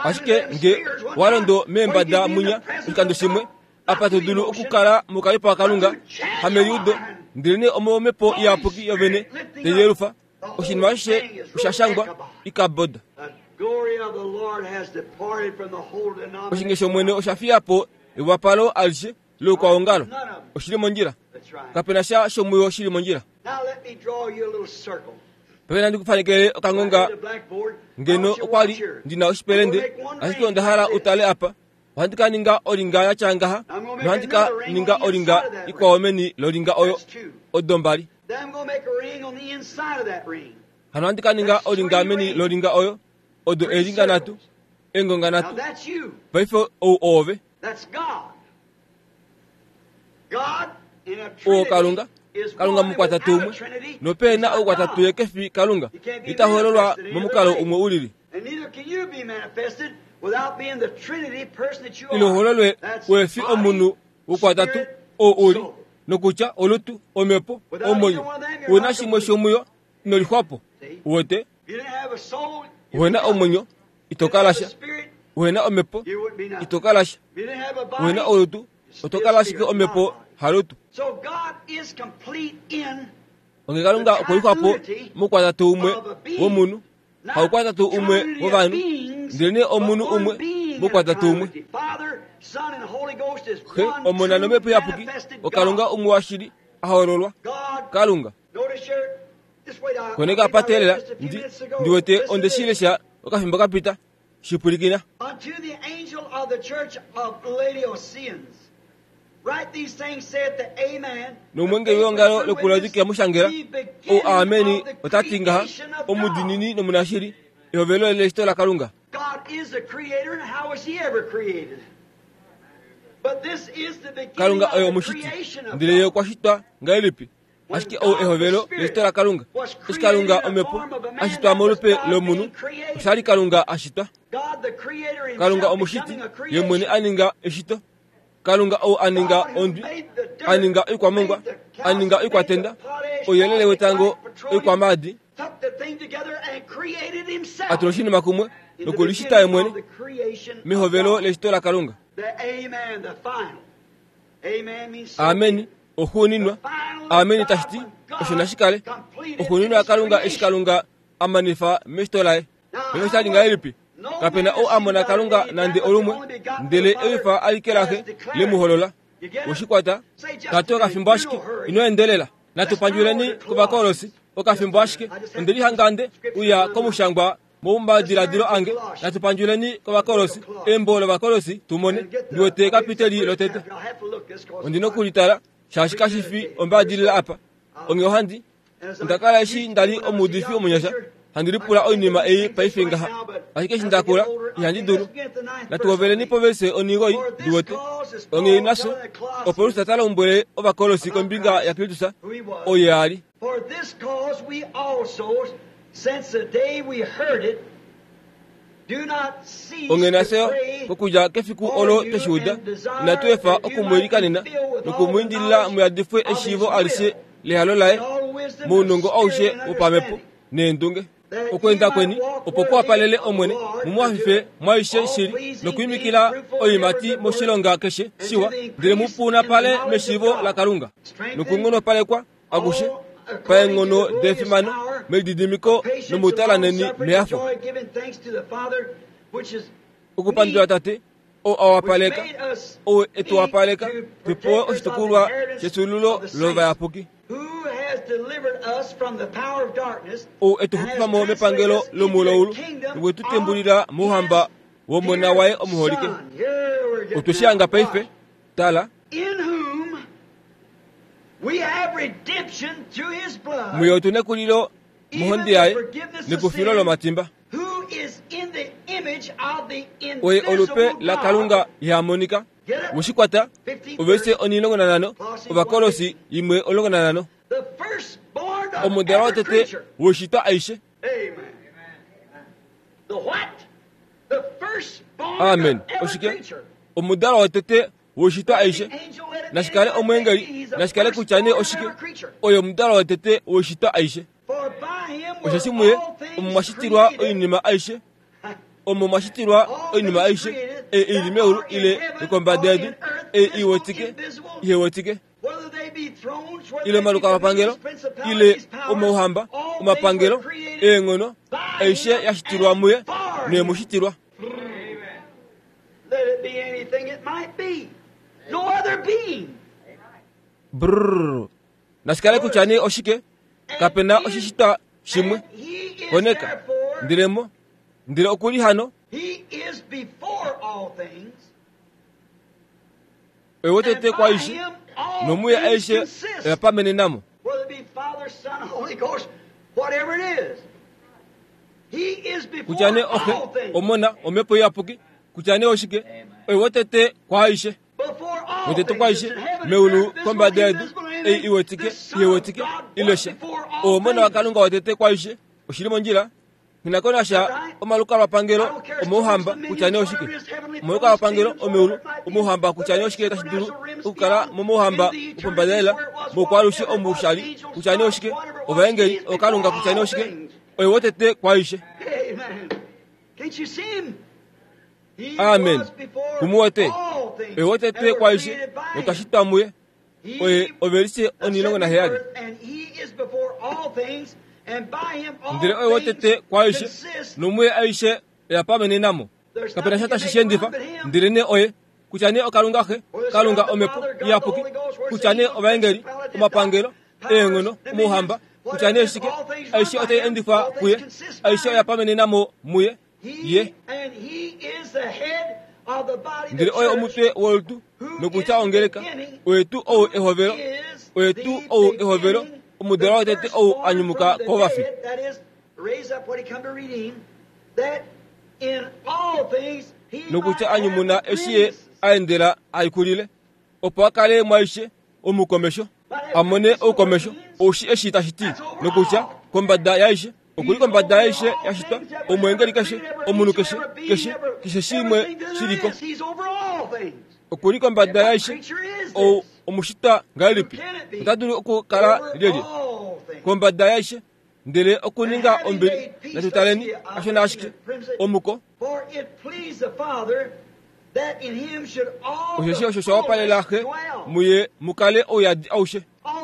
Ashike nge wa londo meembada munya oshikando shimwe apa to dulu okukala mokalipo kaKalunga hameliudo ndele nee omomhepo iyapuki yovene teyelufa oshinima ashishe osha shangwa ikaboda. Oshinge shomwene osha fiya po ewapalo alishe loukwaongalo oshili mondjila. Kapena sha shomuyo shili mondjila. Paife nandi kufanekele okangonga ngeno okwa li ndina oshipelende ashike onda hala utale apa. Ohandi ka ninga olinga ya tya ngaha nohandi ka ninga olinga ikwao meni lolinga oyo odo mbali. Hano ohandi ka ninga olinga meni lolinga oyo odo elinga nhatu engonga nhatu. Paife ou oove oo Kalunga. Kalunga mukwatatu umwe nopena oukwatatu ye kefi Kalunga ita hololwa momukalo umwe ulili. Ilo hololwe wefi omunhu ukwatatu oo uli nokutya olutu omhepo omwenyo una shimwe shomuyo inolixwapo. Uwete wena omwenyo itokala sha, wena omhepo itokala sha, wena olutu otokala ashike omhepo halutu. Onge Kalunga okwelixwapo mukwatatu umwe womunhu haukwatatu umwe wovanhu ndele nee omunhu umwe mukwatatu umwe. Xe Omona nomhepo iyapuki oKalunga umwe washili ahololwa Kalunga. Koneka patelela ndi ndiwete onde shilesha okafimbo kapita shipulikina. Nomwengeli weongalo lokuLaodikea mushangela ou Ameni ota ti ngaha omudinini nomunashili ehovelo leshito laKalunga. Kalunga oye omushiti ndele ye okwa shitwa ngahelipi? Ashike ou ehovelo leshito laKalunga. Eshi Kalunga omhepo a shitwa molupe lomunhu osha li Kalunga a shitwa. Kalunga omushiti ye mwene a ninga eshito. Kalunga ou a ninga ondwi, a ninga oikwamongwa, a ninga oikwatenda, ouyelele wetango, oikwamaadi, a tula oshinima kumwe nokulishita ye mwene mehovelo leshito laKalunga. Ameni oxuuninwa. Ameni tashi ti osho nashi kale oxuuninwa yaKalunga eshi Kalunga a manifa meshito laye. Paife osha li ngahelipi? Kapena ou a mona Kalunga nande olumwe ndele ewifa alike laxe lemuholola. Woshikwata tate okafimbo ashike ino endelela. Natu pandjuleni kOvakolosi okafimbo ashike onde lihanga nde uya komushangwa momadiladilo ange. Natu pandjuleni kOvakolosi embo lOvakolosi tumone ndiwete kapiteli lotete. Ondina okulitala shaashi kashi fi ombaadilila apa. Onge ohandi onda kala eshi ndali omuudifi omunyasha handi lipula oinima ei paife ngaha ashike eshi ndakula ihandi dulu. Natu hoveleni povese onigoi ndiwete onge naso opo Paulus ta lombwele Ovakolosi kombinga yaKristus oye a li. Onge nafye kokudja kefiku olo tweshiuda inatu efa okumwiilikanena nokumwiindilila muyadifwe eshiivo alishe lehalo laye mounongo aushe wopamhepo neendunge. Okweenda kweni opo kuwapalele Omwene mumuhafife mwaishe shili nokwiimikila oiimati moshilonga keshe shiwa ndele mupunapale meshiivo laKalunga nokunghonopalekwa akushe paenghono defimano melididimiko nomutalaneni mehafo. Okupandula Tate ou awapaleka ou etuwapaleka tupewe oshitukulwa shefyuululo lovayapuki ou etuxupifa mo mepangelo lomuloulu nokwe tu tembulila mouhamba wOmona waye omuholike. Otwe shi hanga paife. Tala, muye otu nekulilo mohonde yaye nekufilo lomatimba. Oye olupe laKalunga ihamonika. Woshikwata ovese onilongo nanhano Ovakolosi imwe omulongo nanhano. Omudalwa wotete woshitwa aishe. Amen. Oshike? Omudalwa wotete woishitwa aishe. Nashikale omwengeli, nashikale kutya nee oshike, oyo omudalwa wotete woishitwa aishe. Osheshi muye omo mwashitilwa oinima aishe, omo mwashitilwa oinima aishe, ei ili meulu ile yokombada yedu, ei iwetike, ihewetike, ile omalukalwapangelo, ile omauhamba, omapangelo, eenghono, aishe yashitilwa muye noyemushitilwa. Let it be anything it might be. No other being. Brrr. Nashikale kutya nee oshike, kapena oshishitwa shimwe koneka ndelemo ndele okuli hano He is before all things. oye wotete kwaishe nomuye aishe oyapamenenamo. Whether it be Father, Son, Holy Ghost, whatever it is. He is before Kutya nee oxe, all things. omona, omhepo iyapuki, kutya nee oshike, oye wotete kwaishe. Before all Wotete things kwaishe is in heaven, meulu earth, kombada visible, yedu, invisible, ei anything. iwetike, The Son of ihewetike, God was ilesha. before all Omona things. waKalunga wotete kwaishe, oshili mondjila. Nginakonasha omalukalwapangelo omouhamba kutya nee oshike, omalukalwapangelo omeulu omouhamba kutya nee oshike tashi dulu okukala momouhamba wopombadalela moukwalushe omushali kutya nee oshike, ovaengeli okalunga kutya nee oshike, oye wotete kwaishe. Amen. Can't you see him? He Amen. was before Kumuwete. all things, Oye wotete and were kwaishe created by him. notwashitwa muye, He oye ovelise onilongo naheyali. And he is before all things, and by him all Ndele oye wotete things kwaishe consist. nomuye aishe oyapamenenamo. Kapena sha tashi shendifa, ndele nee oye kutya nee okalunga xe, kalunga omhepo iyapuki, kutya nee ovaengeli, omapangelo, eenghono, omouhamba, kutya nee shike, aishe otai endifwa kuye, aishe oyapamenenamo muye, He, ye. and he is the head of the body, the Ndele oye church, omutwe wolutu, nokutya ongeleka, oye tuu ou ehovelo, is oye the tuu ou ehovelo, beginning, omudalwa the wotete ou firstborn anyumuka from the kovafi. dead, that is, raise up when he come to redeem, that in all things he nokutya might have anyumuna the eshi ye preeminence. aendela aikulile, opo akale mwaishe omukomesho, amone oukomesho, oushi eshi tashi ti, nokutya kombada yaishe, okuli kombada yaishe yashitwa, omwengeli keshe, omunhu keshe, keshe, keshe shimwe shiliko, He's over all things. okuli kombada yaishe, Creature is ou this. omushitwa ngahelipi, ota dulu okukala Over lyelye all things. kombada yaishe, ndele okuninga ombili, natutaleni ashona ashike, omuko, For it pleased the Father that in him should all osheshi the osho shawapalela xe fullness dwell. muye mukale ouyadi aushe,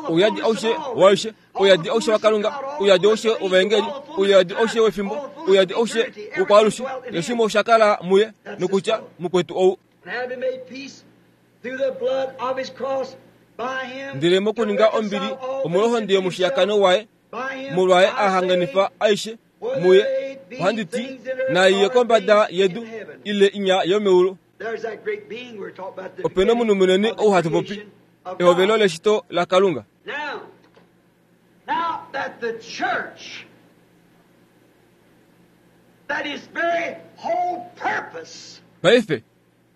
ouyadi aushe waishe, ouyadi aushe wakalunga, ouyadi aushe wovaengeli, ouyadi aushe wefimbo, ouyadi aushe wokwaalushe, neshimwe oshakala muye, nokutya mukwetu ou. And having made peace through the blood of his cross by him Ndele mokuninga to ombili reconcile all omolwohonde things yomushiyakano waye, by him, molwaye I say, ahanganifa aishe muye, ohandi ti, naiye kombada yedu ile inya yomeulu. There's that great being we were talking about the Opena omunhu munene of the ou hatu popi, creation of ehovelo God. leshito laKalunga. Now, now that the church, that its very whole purpose Paife,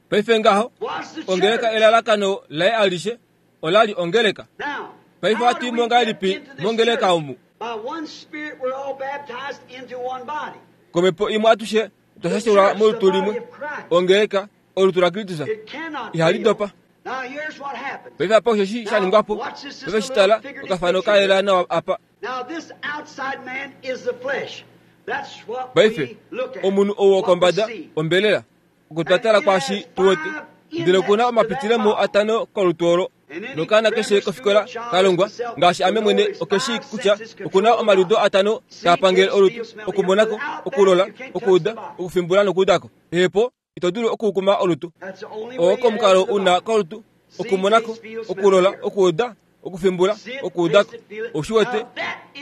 paife ngaho, was the ongeleka church. elalakano laye alishe, olali ongeleka. Now, Paife how hatu do we mo get ngahelipi into this mongeleka church? omu? By one spirit we're all baptized into one body. Komhepo imwe atushe otwa shashelwa molutu limwe, ongeleka olutu laKristus. It cannot Ihali fail. dopa. Now here's what happened. Paife apa osheshi sha ningwapo, paife shitala okafano ka yela nawa apa. Now this outside man is the flesh. That's what Paife, we look at. omunhu ou what we wokombada see. ombelela, okutwatala kwashi tuwete, ndele okuna omapitilemo atano kolutu olo. Nokaana keshe kofikola kalongwa, ngaashi ame mwene okeshi kutya okuna omaliudo atano taa pangele olutu, okumonako, okulola, okuuda, okufimbula nokuudako. Ehepo, ito dulu okukuma olutu. That's the only way Owoko omukalo into the una body. kolutu, okumonako, okulola, okuuda, okufimbula, okuudako, oshiwete,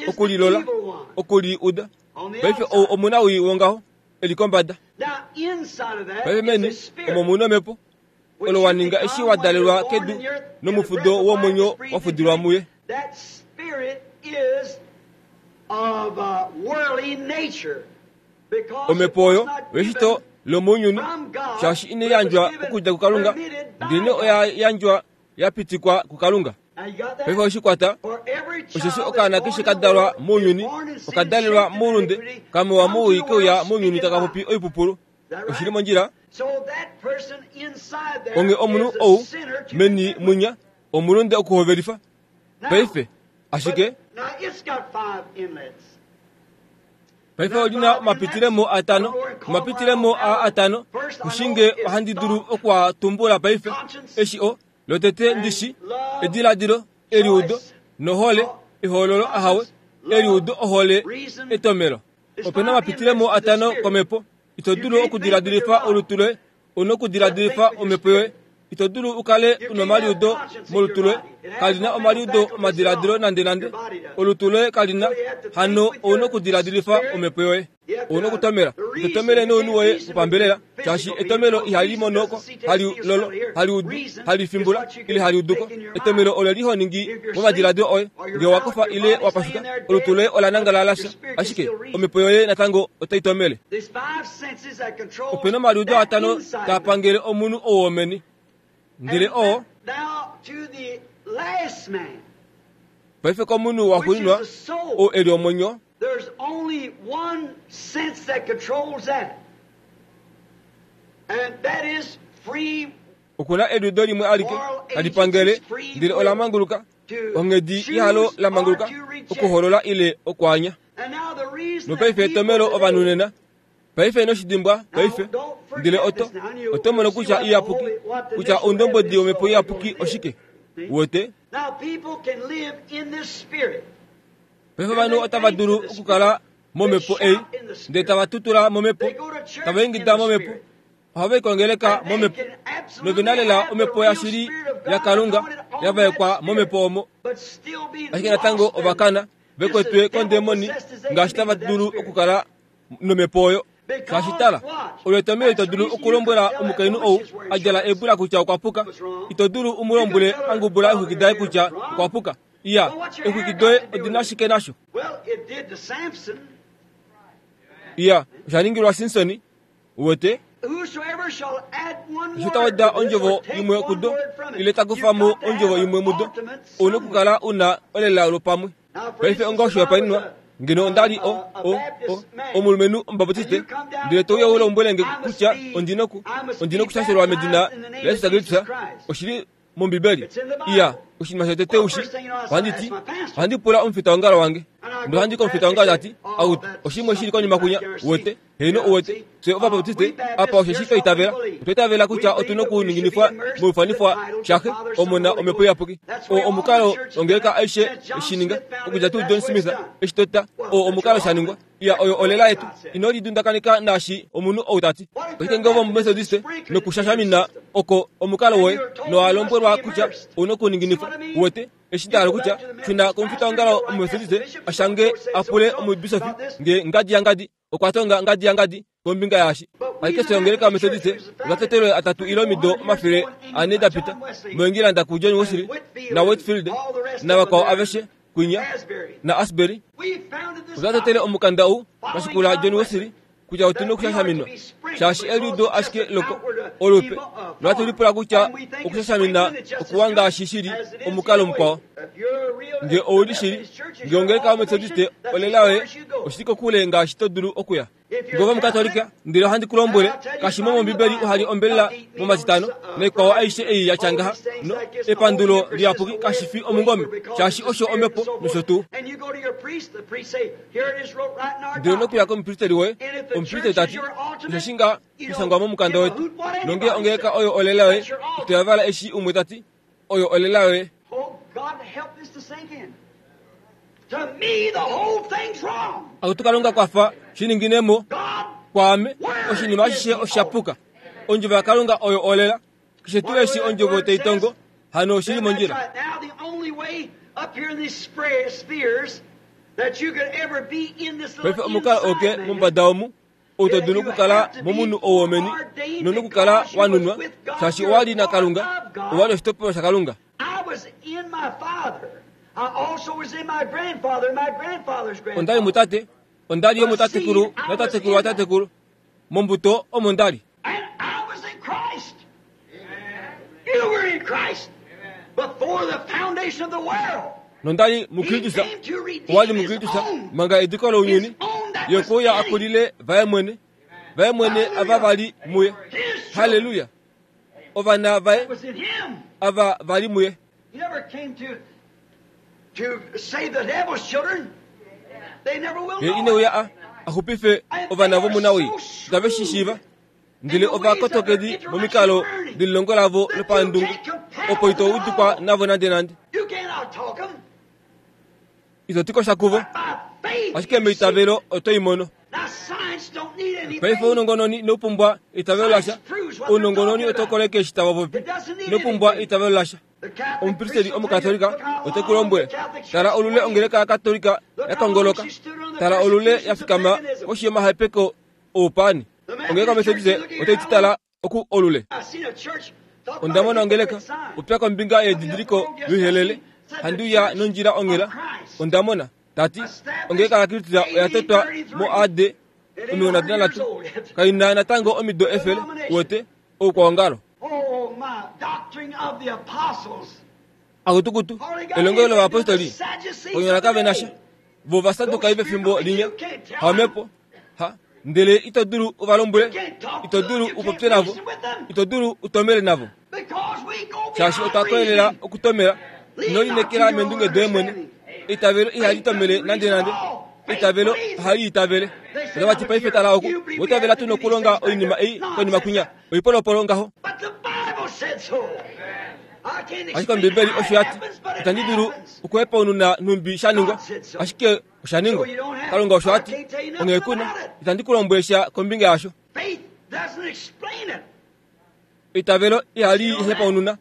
okulilola, okuliuda. Paife ou omunawii wongaho, eli kombada. Now inside of that Paife is meni, a spirit. omo muna omhepo, which olo you wa ninga eshi become wa when dalelwa you're born kedu in the earth, nomufudo and the breath of womwenyo life is breathed wa fudilwa into muye. you. That spirit is of uh, worldly nature. Because it Omhepo was oyo not oyeshito given lomounyuni, from God, shaashi ine but yandjwa was given, okudja kuKalunga, permitted by ndele God. oya yandjwa ya pitikwa kuKalunga. Now you got that? Paife oshikwata, For every child osheshi that's okaana born keshe in ka the dalwa world is mounyuni, born in sin, okadalelwa shaped in moulunde, iniquity, kamewa come to mowii the keuya world mounyuni speaking taka popi lies. oipupulu. Oshili mondjila. Onge omunhu ou meni munya omulunde okuhovelifa. Paife ashike paife olina omapitilemo atano, omapitilemo a atano kushinge ohandi dulu okuatumbula paife. Eshi o lotete ndishi ediladilo, eliudo nohole, ehoololo ahawe, eliudo ohole, etomelo. Opena omapitilemo atano komhepo. Ito dulu okudiladilifa olutu loye, una okudiladilifa omhepo yoye. Ito dulu ukale una omaliudo molutu loye, kalina omaliudo omadiladilo nande nande. Olutu loye kalina, hano ouna okudiladilifa omhepo yoye. Ouna okutomela. Ito tomele nounhu woye wopambelela, shaashi etomelo ihali monoko, hali lolo, hali udu, hali fimbula, ile hali uduko. Etomelo olo lihoningi momadiladilo oye. Ngee wakofa ile wapashuka, olutu loye ola nangala lasha, ashike omhepo yoye natango otai tomele. Opena omaliudo atano taa pangele omunhu ou womeni. Ndele oo paife komunhu waxuuninwa ou eli omwenyo, There's only one sense that controls that. And that is free okuna eliudo limwe alike tali pangele, ndele ola manguluka, onghedi yalo la manguluka okuholola ile okwaanya. And now the reason Nopaife etomelo ovanhu nena, paife noshidimbwa paife, ndele oto oto mono kutya iyapuki, kutya ondombodi yomhepo iyapuki oshike. Uwete? Now people can live in this spirit. Paife ovanhu otava dulu okukala momhepo ei, ndele tava tutula momhepo, tava ingida momhepo, ohava ikongeleka momhepo, novena lela omhepo yashili yaKalunga yavaekwa momhepo omo. But still be Ashike natango ovakana vekwetwe kondemoni ngaashi tava dulu okukala nomhepo oyo. Shaashi tala, olo etomelo ito dulu okulombwela omukainhu ou a djala eebula kutya okwa puka. Ito dulu umulombwele a ngubula eexwiki daye kutya okwa puka. Iya, eexwiki doye odina shike nasho? Well, it did to Samson. Iya, osha ningilwa Simsoni. Uwete? Whosoever shall add one Eshi ta word weda to this ondjovo or take imwe one kudo, word from it, ile ta kufa mo you've got to ondjovo have imwe an mudo, ultimate ouna okukala una olela lopamwe. Now, for Paife instance, onga if I was oshihopaenenwa, a- ngeno onda li o, a- a o, o, Baptist man, omulumenhu omubaptiste, ndele to uya u lombwele nge kutya ondina oku, ondina okushashelwa medina laJesus Kristus, oshili mOmbibeli. Iya, oshinima shotete ushi, ohandi ti, ohandi pula omufitaongalo wange. Ndele ohandi komufitaongalo tati, out, oshimwe shili konima kunya, uwete, heeno uwete, fye ovabaptiste, apa osheshi twa itavela, otwa itavela kutya otuna okuninginifwa moifanifwa shaxe, Omona, Omhepo Iyapuki. Oo omukalo ongeleka aishe eshininga, okudja tuu John Smith eshi tota, oo omukalo sha ningwa. Iya, oyo olela yetu. Ino lidundakaneka naashi omunhu ou tati. Ashike ngee ove Omumethodiste nokushashamina oko omukalo woye, nowa lombwelwa kutya ouna okuninginifwa, uwete, eshi nda hala kutya, shuna komufitaongalo Omumethodiste ashange apule omubisofi nge ngadi yangadi okwa tonga ngadi yangadi kombinga yaashi. Ashike fye ongeleka Omethodiste otwa tetelwe atatu ile omido omafele ane da pita moEngilanda kuJohn Wesley na Whitefield navakwao aveshe kwinya na Asbury. We founded this Otwa tetele omukanda ou twa shikula John Wesley kutya otuna okushashaminwa, shaashi eliudo ashike loko olupe, nohatu lipula kutya okushashamina okuwa ngaashi shili omukalo mukwao. Nge ouli shili, nge ongeleka Omethodiste olela yoye, oshili kokule ngaashi to dulu okuya. Nge ove Omukatolika, ndele ohandi ku lombwele, kashi mo mOmbibeli uhali ombelela momatitano, naikwao aishe ei ya tya ngaha, no, epandulo liyapuki kashi fi omungome, shaashi osho omhepo nosho tuu. And you go to your priest, the priest say, here it is wrote right in our Ndele nokuya doctrine. komupristeli woye, omupristeli tati, osheshi nga kushangwa momukanda wetu, nonge ongeleka oyo olela yoye, ito yavala eshi umwe tati, oyo olela yoye. Oh, God help this to sink in. To me, the whole thing's wrong. Akutu Kalunga kwafa shininginemo God, kwaame, oshinima ashishe oshapuka. Ondjovo yaKalunga oyo olela. Keshe tuu eshi ondjovo tai tongo, hano oshili then that's mondjila. right. Now, the only way up here in these sphere- spheres that you could ever be in this Paife little omukalo inside oke man, mombada omu, ou to dulu okukala momunhu ou womeni, nonokukala wa nunwa, shaashi owa li naKalunga, owa li oshitopolwa shaKalunga. I was in my father. I also was in my grandfather and my grandfather's Onda li grandfather. mutate, onda li yo mutatekulu, natatekulu watatekulu. Mombuto omo nda li. And I was in Christ. You were in Christ before the foundation of the world. Nonda li He muKristus, came to owa li redeem his muKristus, own. manga ediko lounyuni, His own that ye was okwe uya in a him. kulile vaye mwene, Vaye mwene ava vali muye. Haleluya. Ovana vaye ava vali muye. He never came to to save the devil's children. They never will Ye know ine it. uya a axupife ovana vomunawii tave shi shiiva ndele ovakotokedi momikalo delilongo lavo lopandungu opo ito udikwa navo nande nande. You cannot talk 'em. Ito ti ko sha kuvo, By faith. ashike meitavelo oto i mono. Now science don't need anything. Paife ounongononi inopumbwa eitavelo lasha. Ounongononi oto koleke eshi tava popi. Inopumbwa eitavelo lasha. The Catholic Omupristeli priest omukatolika will tell you, ote ku lombwele, the Catholic tala Church olule ongeleka yakatolika yakongoloka, tala olule ya fikama koshi yomahepeko oupani. Ongeleka Methodist otai ti tala oku olule. I seen a church talk Onda about mona a ongeleka hypocrite sign. upya kombinga yedidiliko yoihelele handiuya nondjila onghela. Onda mona tati ongeleka yaKristus oya totwa mo A D omilongo nhatu nanhatu kaina natango omido efele wote oukwaongalo. Oh my, doctrine of the apostles. Akutukutu elongelo lovapostoli onyala kave na sha vo vasadukai vefimbo linya haomhepo ha ndele ito dulu uvalombwele, ito dulu upopye navo, ito dulu utomele navo, Because we go shaashi beyond otwa kolelela reason. okutomela ino linekela meendunge doye mwene. Eitavelo ihali tomele nande nande. Eitavelo ohali itavele. Otava ti paife tala oku votavela tu nokulonga oinima ei konima kwinya oipolopolo ngaho. But the Bible said so. I can't Ashike explain Ombibeli how osho it yati happens, but it itandi dulu happens. okuhepaununa nhumbi sha ningwa, ashike osha ningwa. Kalunga osho ati onghee kuna itandi ku lombwele sha kombinga yasho. Faith doesn't explain it. Eitavelo ihali hepaununa.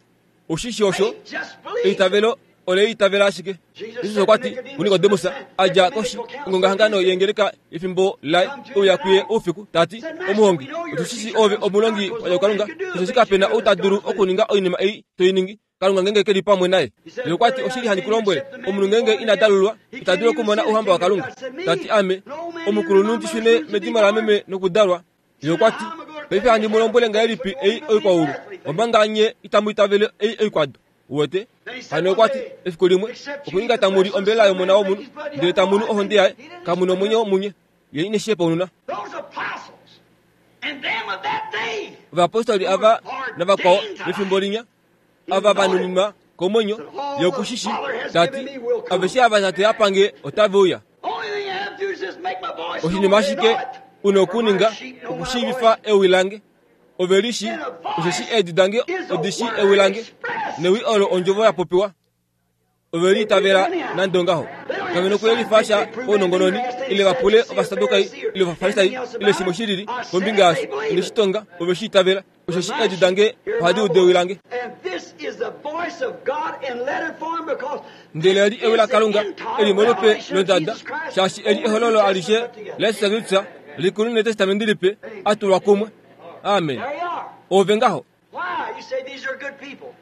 Oshishi osho Faith just believes. eitavelo ole itavela ashike. Jesus okwa ti kuNikodemus a dja koshi ongongahangano yengeleka efimbo laye ouya kuye oufiku tati omuhongi otushishi ove omulongi wa Kalunga osheshi kapena ou ta dulu okuninga oinima ei toi ningi Kalunga ngenge keli pamwe naye. Ye okwa ti oshili handi ku lombwele omunhu ngenge ina dalulwa ita dulu okumona ouhamba waKalunga. Tati ame omukulunhu ndi shune medimo lameme nokudalwa. Ye okwa ti paife handi mu lombwele ngahelipi ei oikwaulu omanga nye itamu itavele ei oikwado. Uwete hano okwa ti efiku limwe okuninga tamu li ombelela yomona womunhu ndele tamu nu ohonde yaye kamu nomwenyo munye. Ye ine shi hepaununa. Those apostles and them of that day. Ovapostoli ava navakwao vefimbo linya ava vanuninwa komwenyo yokushishi tati aveshe ava tate apange otave uya. Only thing you have to do is just make my voice known. Oshinima They ashike know it. una okuninga For my sheep know my okushiivifa voice. ewi lange. Ove lishi osheshi eedi dange odishi ewi lange newi olo ondjovo ya popiwa. Ove liitavela nande ongaho. Kave nokuyelifa sha paunongononi ile va pule ovasadukai ile ovafarisai ile shimwe shi lili kombinga yasho. Ine shi tonga ove shi itavela osheshi eedi dange ohadi udu ewi lange. And this is the voice of God in letter form because Ndele eli ewi laKalunga this is the eli molupe revelation of londada Jesus Christ shaashi eli ehololo alishe put together. laYesus Kristus likulu netestamenti lipe atulwa kumwe. Amen. There you are. Ove ngaho. Why? You say these are good people.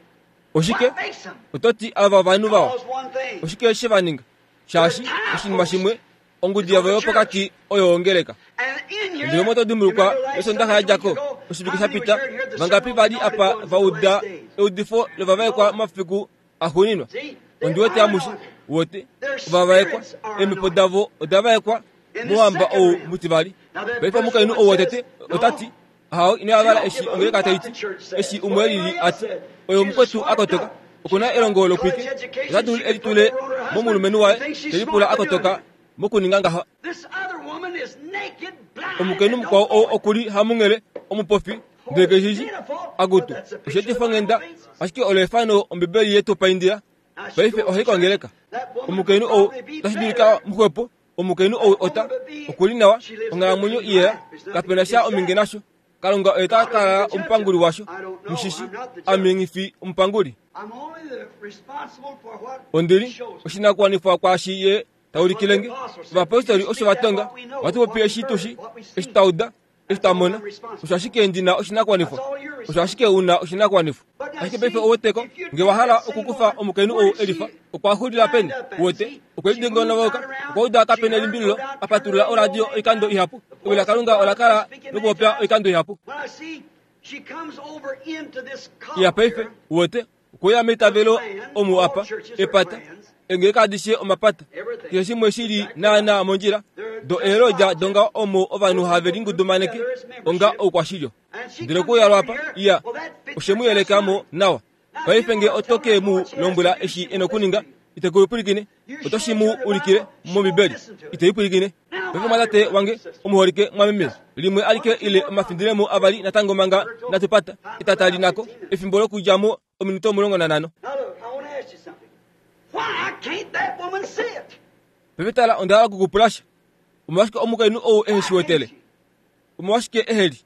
Oshike What makes them? oto ti ava ovanhu vawa. Because one thing. Oshike she va ninga? Shaashi oshinima shimwe ongudi yavo yopokati oyo ongeleka. And in here, Ndele omo to dimbulukwa you remember last esondaxa ya Sunday dja ko week ago, oshivike how sha many pita was here to hear the vangapi sermon vali on the apa anointed va ones in the uda last days? eudifo lovavaekwa momafiku axuuninwa. See? They Ondi wete are amushe anointed. wote Their ovavaekwa spirits are eemhepo anointed. davo oda vaekwa In the mouhamba second ou realm. mutivali. Now that Paife first omukainhu woman ou wotete says, no, otati hao ino yavala you eshi don't give a ongeleka hoot tai what ti the church says. eshi umwe lili What ati said. oyo She's mukwetu smart akotoka enough. okuna elongo lokwike College education, ota dulu she eli could put tule over on her husband. momulumenhu waye You think she's telipula smart for doing akotoka it. mokuninga ngaha. This other woman is naked, blind, Omukainhu and mukwao don't ou know it. okuli hamunghele omupofi ndele keshishi akutu osheetifa onghenda ashike olo efano ombibeli yetu paindila. Now she Paife goes to ohai church. kongeleka. That woman Omukainhu would ou probably be otashi better. dulika muxwepo. Omukainhu ou ota okuli nawa onghalamwenyo iyela kapena sha ominge nasho. Kalunga oye ta kala omupanguli washo. Mushishi ame nghi omupanguli. I'm only the responsible for what Ondili he shows me. oshinakuwanifwa kwaashi ye taulikilenge. Ovapostoli osho va tonga vati popi eshi tushi eshi twa uda eshi twa mona. Osho ashike ndina oshinakuwanifwa. Osho ashike una oshinakuwanifwa. Ashike paife oweteko nge wa hala okukufa omukainhu ou elifa okwa xulila peni uwete okwe lidingonoka okwa uda kapena elimbililo apatulula oradio oikando ihapu. Ewi laKalunga ola kala nokupopya oikando ihapu. When I see she comes over into this column Ya paife here, uwete okuya meitavelo omu apa epata engeleka adishe omapata keshe shimwe shili naana mondjila Do eelodja donga omo ovanhu have lingudumaneke onga oukwashilyo. Ndele kuyalwa apa iya oshe mu yelekamo nawa. Paife nge oto ke mu lombwela eshi ena okuninga ite kuipwilikine, oto shi mu ulikile mOmbibeli ite ipwilikine. Paife mwatate wange omuholike mwameme limwe alike ile omafindilemo avali natango manga natupata etata linako efimbo lokudjamo ominute omulongo nanhano. Paife tala onda hala okukupulasha. Omolwashike omukainhu ou ehe shi wetele? Omolwashike eheli?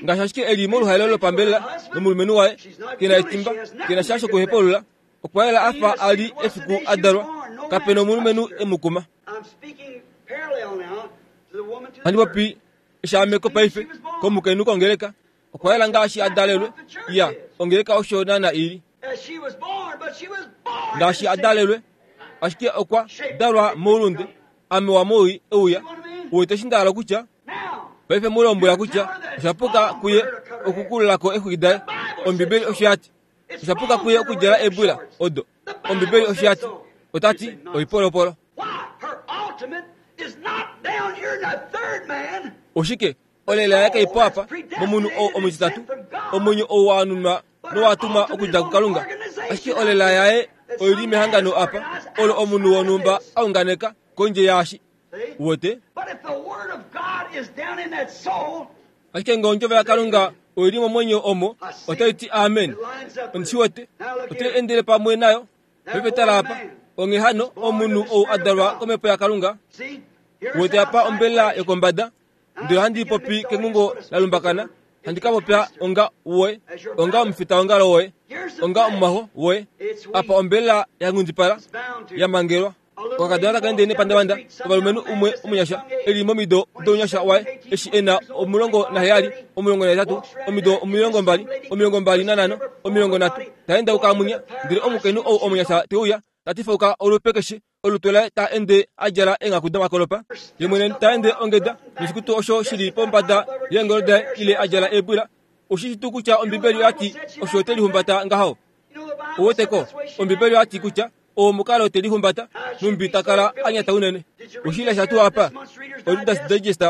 Ngaashi ashike eli moluhaelo lopambelela nomulumenhu waye kena etimba, kena sha shokuhepulula, okwa yela afa a li efiku a dalwa, kapena omulumenhu e mu kuma. Handi popi eshaameko paife komukainhu kongeleka, okwa yela ngaashi a dalelwe. Iya, ongeleka osho naana ili. Ngaashi a dalelwe, ashike okwa dalwa moulunde, ame wa moi euya. Uwete eshi nda hala kutya? Paife mu lombwela kutya osha puka kuye okukululako exwiki daye. Ombibeli osho ya ti. Osha puka kuye okudjala eebwila odo. Ombibeli osho ya ti. Ota ti oipolopolo. Oshike olela yaye kaipo apa momunhu ou omutitatu, omwenyo ou wa anunwa nowa tumwa okudja kuKalunga. Ashike olela yaye oili mehangano apa olo omunhu wonhumba a unganeka kondje yaashi. Uwete? Ashike nge ondjovo yaKalunga oili momwenyo omo, otai ti amen. Ondi shi wete, otai endele pamwe nayo. Paife tala apa, onghee hano omunhu ou a dalwa komhepo yaKalunga, uwete apa ombelela yokombada, ndele handi popi kengungo la lumbakana, handi ka popya onga woye, onga omufitaongalo woye, onga omumwaxo woye. Apa ombelela ya nghundipala, ya mangelwa. Okakadona taka ende nepandavanda, ovalumenhu umwe omunyasha eli momido dounyasha waye, eshi ena omulongo naheyali, omulongo nahetatu, omido omilongo mbali, omilongo mbali nanhano, omilongo nhatu, ta endauka munya. Ndele omukainhu ou omunyasha te uya, ta tifauka olupe keshe, olutu laye ta ende a djala eenghaku domakolopa, ye mwene ta ende ongeda noshikutu osho shili pombada yeengolo daye ile a djala eebwila. Oshi shi tuu kutya Ombibeli oya ti osho te lihumbata ngaho? Uweteko, Ombibeli oya ti kutya omukalo te lihumbata numbi ta kala a nyata unene. Oshilesha tuu apa oReader's Digest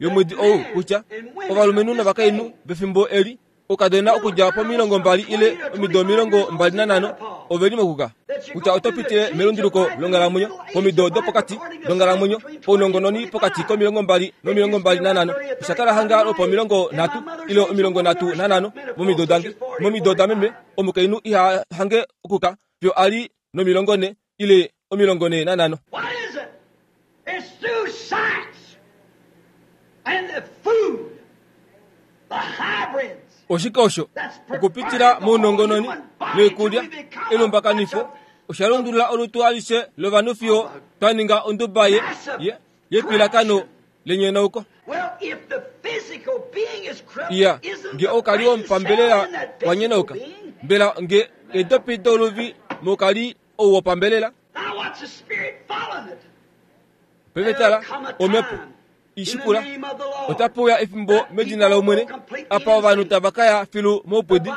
yomwedi ou kutya ovalumenhu novakainhu vefimbo eli okadona okudja pomilongo mbali ile omido omilongo mbali nanhano ove li mokuka kutya oto pitile melunduluko longhalamwenyo pomido dopokati donghalamwenyo pounongononi pokati komilongo mbali nomilongo mbali nanhano. Osha kala hanga lwopomilongo nhatu ile omilongo nhatu nanhano momido dange. Momido dameme omukainhu iha hange okuka fiyo a li nomilongo ne ile omilongo ne nanhano. What is it? It's through science and the food, the hybrids. Oshike osho? Okupitila mounongononi noikulya elumbakanifo osha lundulula olutu alishe lovanhu fiyo twa ninga onduba ye, ye, yepilakano lenyonauko. Well, if the physical being is corrupt, Iya, isn't nge the okali brain cell wopambelela in that wa physical nyonauka, being? mbela nge edopi doluvi mokali ou wopambelela? Now watch the spirit following it. Paife tala omhepo ishikula otape uya efimbo medina lOmwene apa ovanhu tava ka ya filu moupwidi.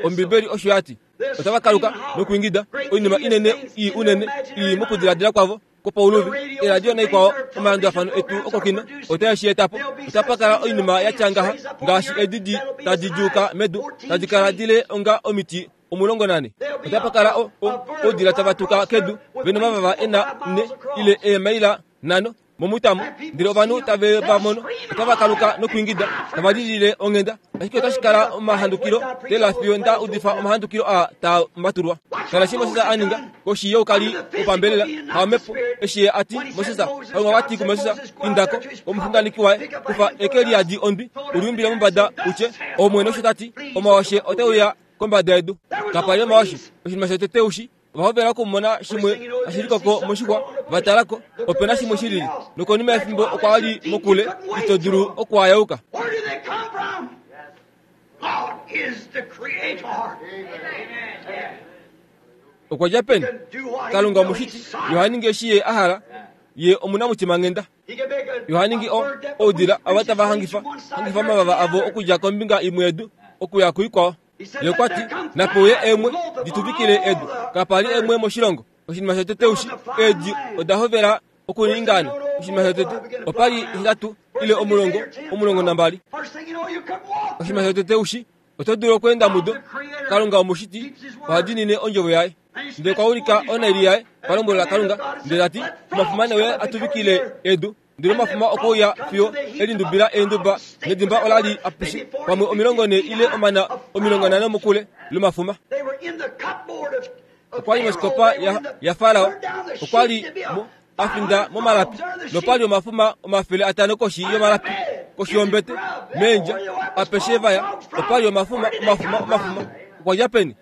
Ombibeli osho ya ti. Otava kaluka nokuingida oinima inene ii unene ii mokudiladila kwavo kwopauluvi, eradio naikwao, omalandulafano etu okokino otae shi eta po. Otapa kala oinima ya tya ngaha ngaashi edidi tadi djuuka medu, tadi kala dile onga omiti omulongo nane. Otapa kala o, o, oudila tava tuka kedu vena omavava ena ne ile eemaila nhano momutamo, ndele ovanhu tave va mono otava kaluka nokuingida tava lilile onghenda. Ashike otashi kala omahandukilo tela fiyo nda udifa omahandukilo aa taa matulwa. Kala shi Moses a ninga koshi youkali wopambelela haomhepo eshi ye a ti Moses, Kalunga okwa ti kuMoses, indako omuxunganeki waye, kufa eke liyadi ondwi uliumbile mombada utye, Omwene osho ta ti, omawashe ote uya kombada yedu. Kapa li omawashe. Oshinima shotete ushi, ova hovela okumona shimwe tashi likoko moshixwa, va talako opena shimwe shilili, nokonima yefimbo okwa li mokule ito dulu okuayauka. Where do they come from? God is the creator. Okwa dja peni? Kalunga omushiti, ye oha ningi eshi ye a hala, ye omunamutimanghenda. He can make a, Ye oha ningi a o- bird that oudila ava reaches tava wings hangifa from one side hangifa to the omavava avo other. okudja kombinga imwe yedu okuya kuikwao. Ye okwa ti, nape uye eemwe dituvikile edu. Kapa li eemwe moshilongo. Oshinima shotete ushi, eedi oda hovela Okuningaana oshinima shotete opa li hetatu ile omulongo omulongo nambali. Oshinima shotete ushi oto dulu okweenda mudo. Kalunga omushiti oha diinine ondjovo yaye. Ndele okwa ulika onaili yaye palombwelo laKalunga, ndele tati omafuma ne uye a tuvikile edu. Ndele omafuma okwe uya fiyo elindubila eenduba nedimba ola li apeshe pamwe omilongo nhee ile omana omilongo nhano mokule lomafuma. Okwa li mosikopa yaFarao, okwa li a finda momalapi, nopa li omafuma omafele atano koshi yomalapi, koshi yombete, meendja, apeshe vaya, opa li omafuma, omafuma, omafuma. Okwa dja peni?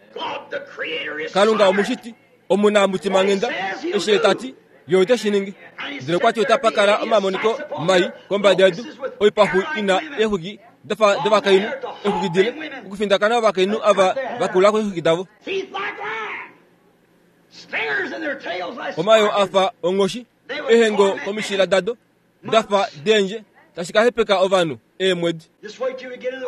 Kalunga omushiti, omunamutimanghenda, eshi tati ye ote shi ningi. Ndele okwa ti otapa kala omamoniko mai kombada yedu, oipaxu ina eexwiki dafa dovakainhu, eexwiki dile, okufindakana ovakainhu ava va kula eexwiki davo. Omayo afa onghoshi, ehengo komishila dado dafa deendje, tashi ka hepeka ovanhu eemwedi.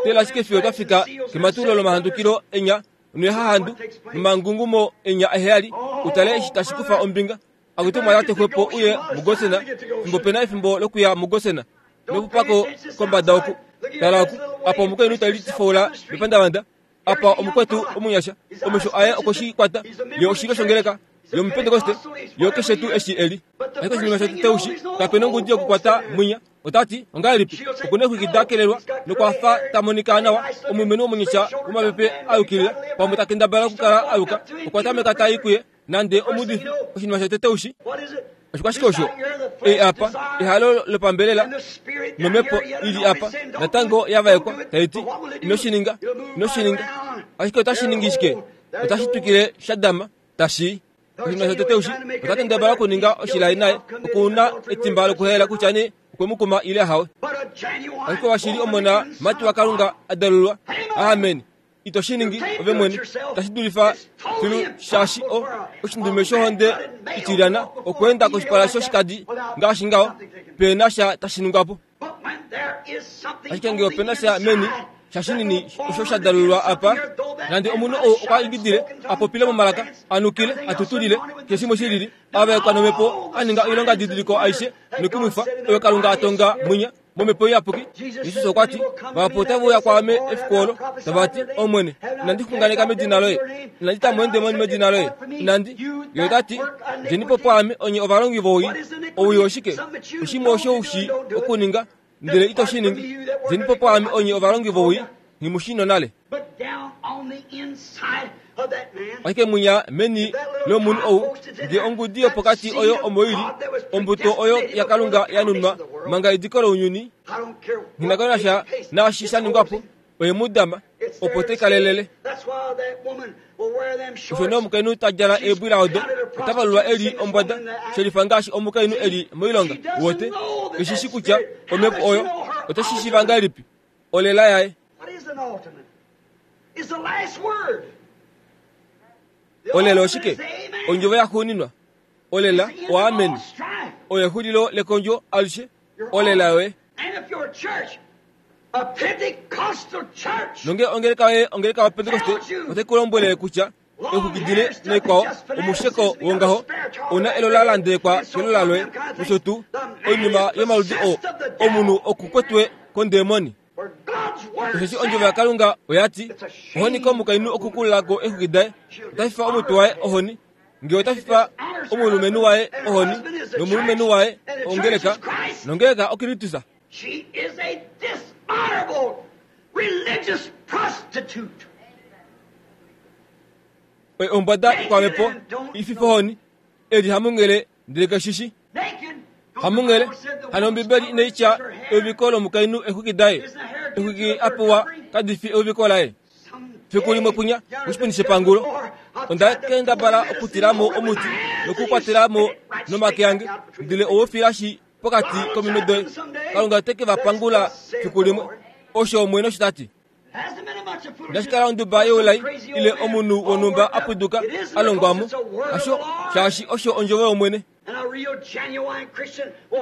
Tela ashike fiyo twa fika kematulo lomahandukilo enya noehahandu nomangungumo enya eheyali, utale eshi tashi kufa ombinga. Akuti omwa texwepo uye muGosena, fimbo pena efimbo lokuya muGosena, nokupako kombada oku. Tala oku, apa omukainhu tali tifoula mepandavanda, apa omukwetu omunyasha, omesho aye okweshi kwata, ye oshilyo shongeleka yomupentekoste, yo keshe tuu eshi eli. Ashike oshinima shotete ushi, kapena ongudi yokukwata mwinya. Otati ongahelipi okuna eexwiki da kelelwa nokwafa ta monika nawa, omulumenhu omunyasha womapepe a yukilila, pamwe ta kendabala okukala a yuka, okwa tameka tai kuye nande omudifi. Oshinima shotete ushi oshikwashike osho? Ei apa ehalo lopambelela nomhepo ili apa natango ya vaekwa tai ti ino shi ninga, ino shi ninga. Ashike otashi ningi shike? Otashi twikile sha dama tashi. Oshinima shotete ushi ota kendabala okuninga oshilai naye, okuna etimba lokuhela kutya nee okwe mu kuma ile hawe. Ashike washili omona mati waKalunga a dalulwa. Amen. Ito shi ningi ove mwene, tashi dulifa filu shaashi o oshindume shohonde itilyana okweenda koshipala shoshikadi ngaashi ngaho, pena sha tashi ningwa po. Ashike ngee opena sha meni shashinini osho sha dalulwa apa, nande omunhu ou okwa ingidile, a popile momalaka, a nukile, a tutulile, keshe shimwe shilili, a vaekwa nomhepo, a ninga oilonga didiliko aishe nokumwifa oyo Kalunga a tonga mwinya momhepo iyapuki. Jesus okwa ti, vahapu otava uya kwaame efiku olo, tava ti, Omwene, inandi xunganeka medina loye, inandi ta mo eendemoni medina loye, inandi. Ye ota ti, djeni po pwaame onye ovalongi vowii. Owii oshike? Oshimwe osho u shii okuninga, ndele ito shi ningi. Djeni po pwaame onye ovalongi vowii, nghi shi nonale. Ashike mwinya meni lomunhu ou, ngee ongudi yopokati oyo omo ili, ombuto oyo yaKalunga ya nunwa manga ediko lounyuni, nghi na sha naashi sha ningwa po, oye mu dama, opo te kalelele. Osho nee omukainhu ta djala eebwila odo, ota valulwa eli ombwada, shelifa ngaashi omukainhu eli moilonga. Wote keshi shi kutya omhepo oyo otashi shiiva ngahelipi olela yaye. Olela oshike? Ondjovo yaxuuninwa. Olela oamen. Oyo exulilo lekondjo alishe. Olela yoye. Nonge ongeleka yoye ongeleka yoPentekoste otai ku lombwele kutya exwiki dile noikwao omusheko wongaho ouna elola la ndelekwa kelola loye, nosho tuu oinima yomaludi oo, omunhu okukwetwe kondemoni. Osheshi ondjovo yaKalunga oya ti, ohoni komukainhu okukulula ko exwiki daye, ota fifa omutwe waye ohoni, ngee ota fifa omulumenhu waye ohoni, nomulumenhu waye ongeleka, nongeleka oKristus. She is a dishonorable religious prostitute. Oye ombwada ikwamhepo ififa ohoni, eli hamungele ndele keshishi. Hamungele, hano Ombibeli inai tya euviko lomukainhu exwiki daye, exwiki a pewa kadi fi euviko laye. Fiku limwe kwinya koshipundi shepangulo, onda kendabala okutila mo omuti nokukwatela mo nomake ange, ndele owofilashi pokati kominwe doye. Kalunga ote ke va pangula fiku limwe. Osho Omwene osho ta ti. Inashi kala onduba youlai ile omunhu wonhumba a pwiduka a longwa mo, hasho, shaashi osho ondjovo yOmwene.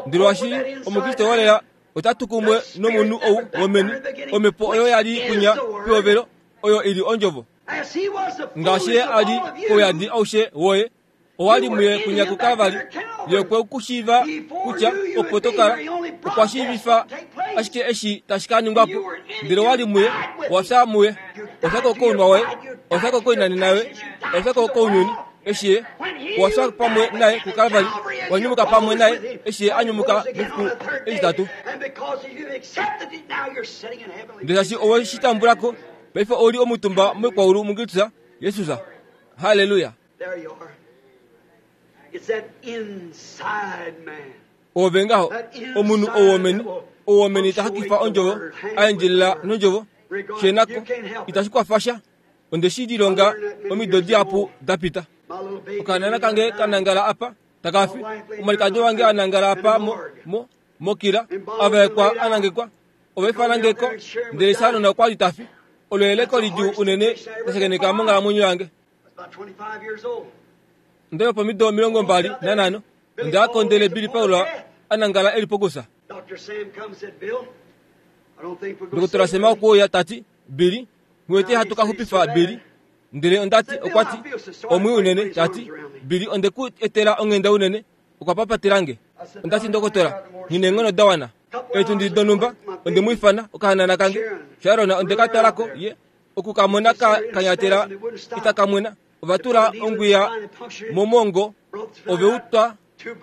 Ndele washili Omukriste wolela ota tu kumwe nomunhu ou womeni, omhepo oyo ya li kwinya pehovelo, oyo ili ondjovo. Ngaashi ye a li kouyadi aushe woye, owa li muye kwinya kuKalvari, Ye okwe ku shiiva kutya opo to kala, okwa shiivifa ashike eshi tashi ka ningwa po. Ndele owa li muye, owa fya muye, owa fya ko kounwa woye, owa fya ko koinanena yoye, owa fya ko kounyuni. Eshi ye owa fya pamwe naye kuKalvari, wa nyumuka pamwe naye eshi ye a nyumuka mefiku etitatu. Ndele shaashi owe shi tambula ko, paife ou li omutumba moikwaulu muKristus Jesus. Halleluya. Ove ngaho, omunhu ou womeni, ou womeni ta hakifa ondjovo, a endjelela nondjovo, shenako, itashi kwafa sha. Onde shi lilonga omido dihapu da pita. Okanana kange kanangala apa, takafi. Omalikadi wange anangala apa mo, mo, mokila, avaekwa anangekwa, ovaifanangeko, ndele Sharona okwa li tafi. Olo eleko lidjuu unene lashakeneka monghalamwenyo yange. Ndele pomido omilongo mbali nanhano, onda kondele Billy Paul anangala eli pokusa. Ndokotola Sema okuuya tati, Billy, ngwete hatu ka xupifa Billy. Ndele ondati okwati omwi unene tati Billy onde ku etela onghenda unene, okwa papatelange. Ondati ndokotola, nghi neenghono da wana. Eetundi donhumba onde mu ifana okahanana kange. Sharon onde ka talako ye okukamona ka kanyatela itakamwena. Ova tula ongwiya momongo, ove utwa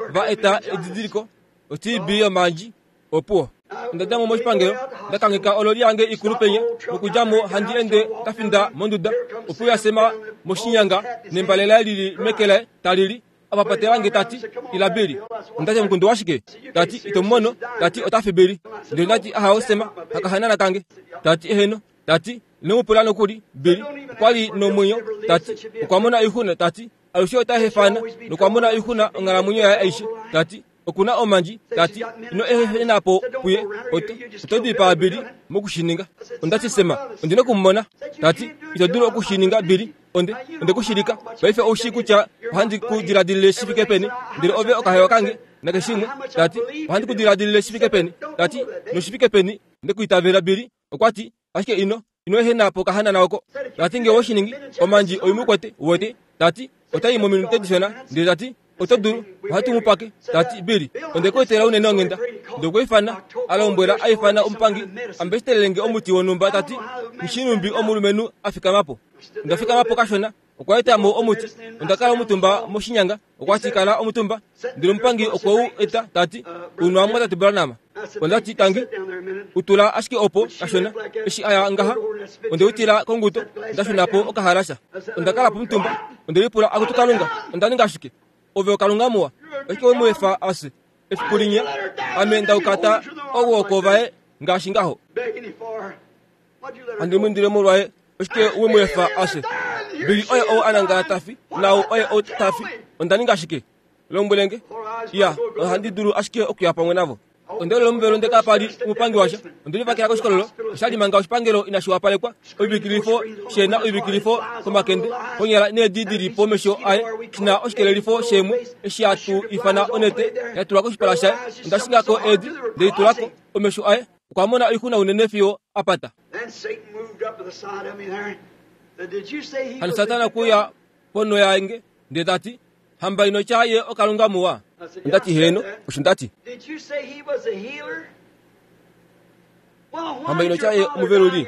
va eta edidiliko o T B yomandji opuwo. Onda dja mo moshipangelo, nda kangheka ololi yange ikulu penya, nokudja mo handi ende nda finda monduda. Opo ya sema moshinyanga nembale laye lili meke laye talili. Apapatelange tati ila Billy. Ondati omukundu washike? Tati ito mono, tati ota fi Billy. Ndele ndati aha osema akahanana kange. Tati eheno, tati ino nokuli Billy. Okwa li nomwenyo, tati okwa mona oixuna, tati alushe ota hefana nokwa mona oixuna onghalamwenyo yaye aishe. Tati okuna omandji, tati ino ehena po puye, oto oto dipaa Billy mokushininga. Ondati sema, ondina okumumona. Tati ito dulu okushininga Billy. Onde onde kushilika paife oushi kutya ohandi ku diladilile shi fike peni, ndele ove okahewa kange nakeshimwe. Tati ohandi ku diladilile shi fike peni, tati noshi fike peni nde kuitavela Billy. Okwati ashike ino ino ehena po kahanana oko. Tati nge oshiningi omandji oimukwete wete. Tati otai mominute dishona, ndele tati oto dulu ohatu mu pake. Tati Billy onde ku etela unene onghenda. Nde okweifana alombwela aifana omupangi ambesitelelenge omuti wonhumba. Tati nshinumbi omulumenhu a fikama po. Onda fikama po kashona, okwa eta mo omuti. Onda kala omutumba moshinyanga, okwa kala omutumba. Ndele omupangi okwe u eta tati unwa mwatate Branham. Ondati tangi utula ashike opo kashona eshi aya ngaha. Onde utila konguto, ndashuna po okahalasha. Onda kala pomutumba, onde lipula akutu Kalunga, onda ninga ashike ove okalunga muwa. Ashike we mu efa ase efiku linya, ame ndaukata owoko vaye ngaashi ngaho. Andi mwindile molwaye, ashike we mu efa ase. Billy oye ou anangala tafi, nau oye ou tafi. Onda ninga ashike lombwelenge ya ohandi dulu ashike okuya pamwe navo. Onde lomuvelo ndeka pali omupangi washa. Onde livakela koshikololo, oshali manga oshipangelo inashi wapalekwa. Oivikilifo shena oivikilifo komakende konyala needi dili pomesho aye, shina oshikelelifo shemwe eshi atu ifana onete yatulwa koshipala shaye. Onda shingako eedi ndeitulako omesho aye, okwa mona oixuna unene fiyo apata. Hano Satana kuya pono yange ndele tati hamba ino chaye okalunga muwa. Ndati heno, osho ndati. Hamba ino chaye omuveluli.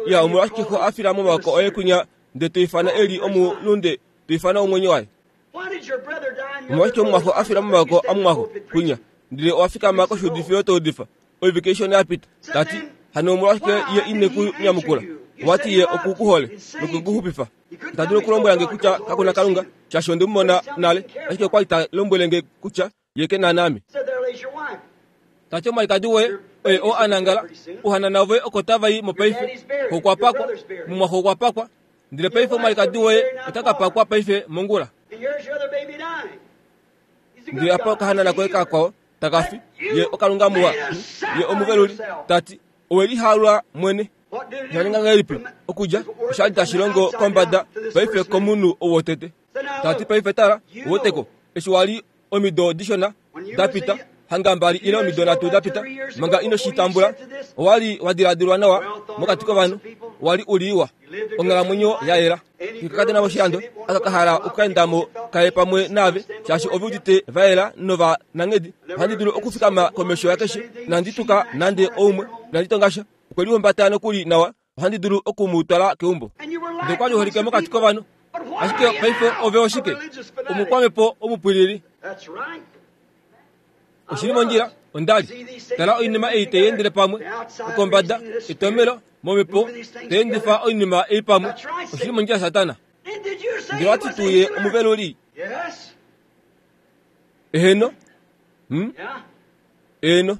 Ya omolwashike xo afila momawoko oye kunya nde toifana eli omulunde, toifana omwenyo waye. Omolwashike omumwaxo afila momawoko amumwaxo kunya, ndele owa fikama koshuudifilo toudifa oivike ishona yapita. Tati hano omolwashike ye ine ku nyamukula. Wati ye okukuhole nokukuxupifa. Ita dulu okulombwela nge kutya kakuna Kalunga, shaashi onde mu mona nale, ashike okwa li ta lombwele nge kutya ye ke na naame. Tati omwalikadi woye oye oo anangala, uhanana voye oko tava i mopaife, okwa pakwa, mumwaxo okwa pakwa, ndele paife omwalikadi woye ota ka pakwa paife mongula. Ndele apa okahanana koye kakwao takafi, ye okalunga muwa, ye omuveluli. Tati owe lihalwa mwene. Shaninga ngahelipi okudja oshali tashi longo kombada paife komunhu ou wotete. Tati paife tala woteko eshi wali omido dishona dapita, hanga mbali ile omido nhatu dapita, manga ino shi tambula, owali wa diladilwa nawa mokati kovanhu, wali uliwa onghalamwenyo ya yela. Kakadona moshilando aka kahala okukaendamo kaye pamwe naave, shaashi ove udite va yela nova nanghedi. Ohandi dulu okufikama komesho yakeshe, inandi tuka nande oumwe, inandi tonga sha. Okwe lihumbata nokuli nawa, ohandi dulu oku mu twala keumbo. Ndele okwa li holike mokati kovanhu. Ashike paife ove oshike? Omukwamhepo omupwilili. Oshili mondjila, onda li. Tala oinima ei tai endele pamwe, okombada, etomelo, momhepo, tai endifa oinima ei pamwe. Oshili mondjila Satana. Ndele wati tuu ye omuveluli? Eheno. Hmm? Eheno.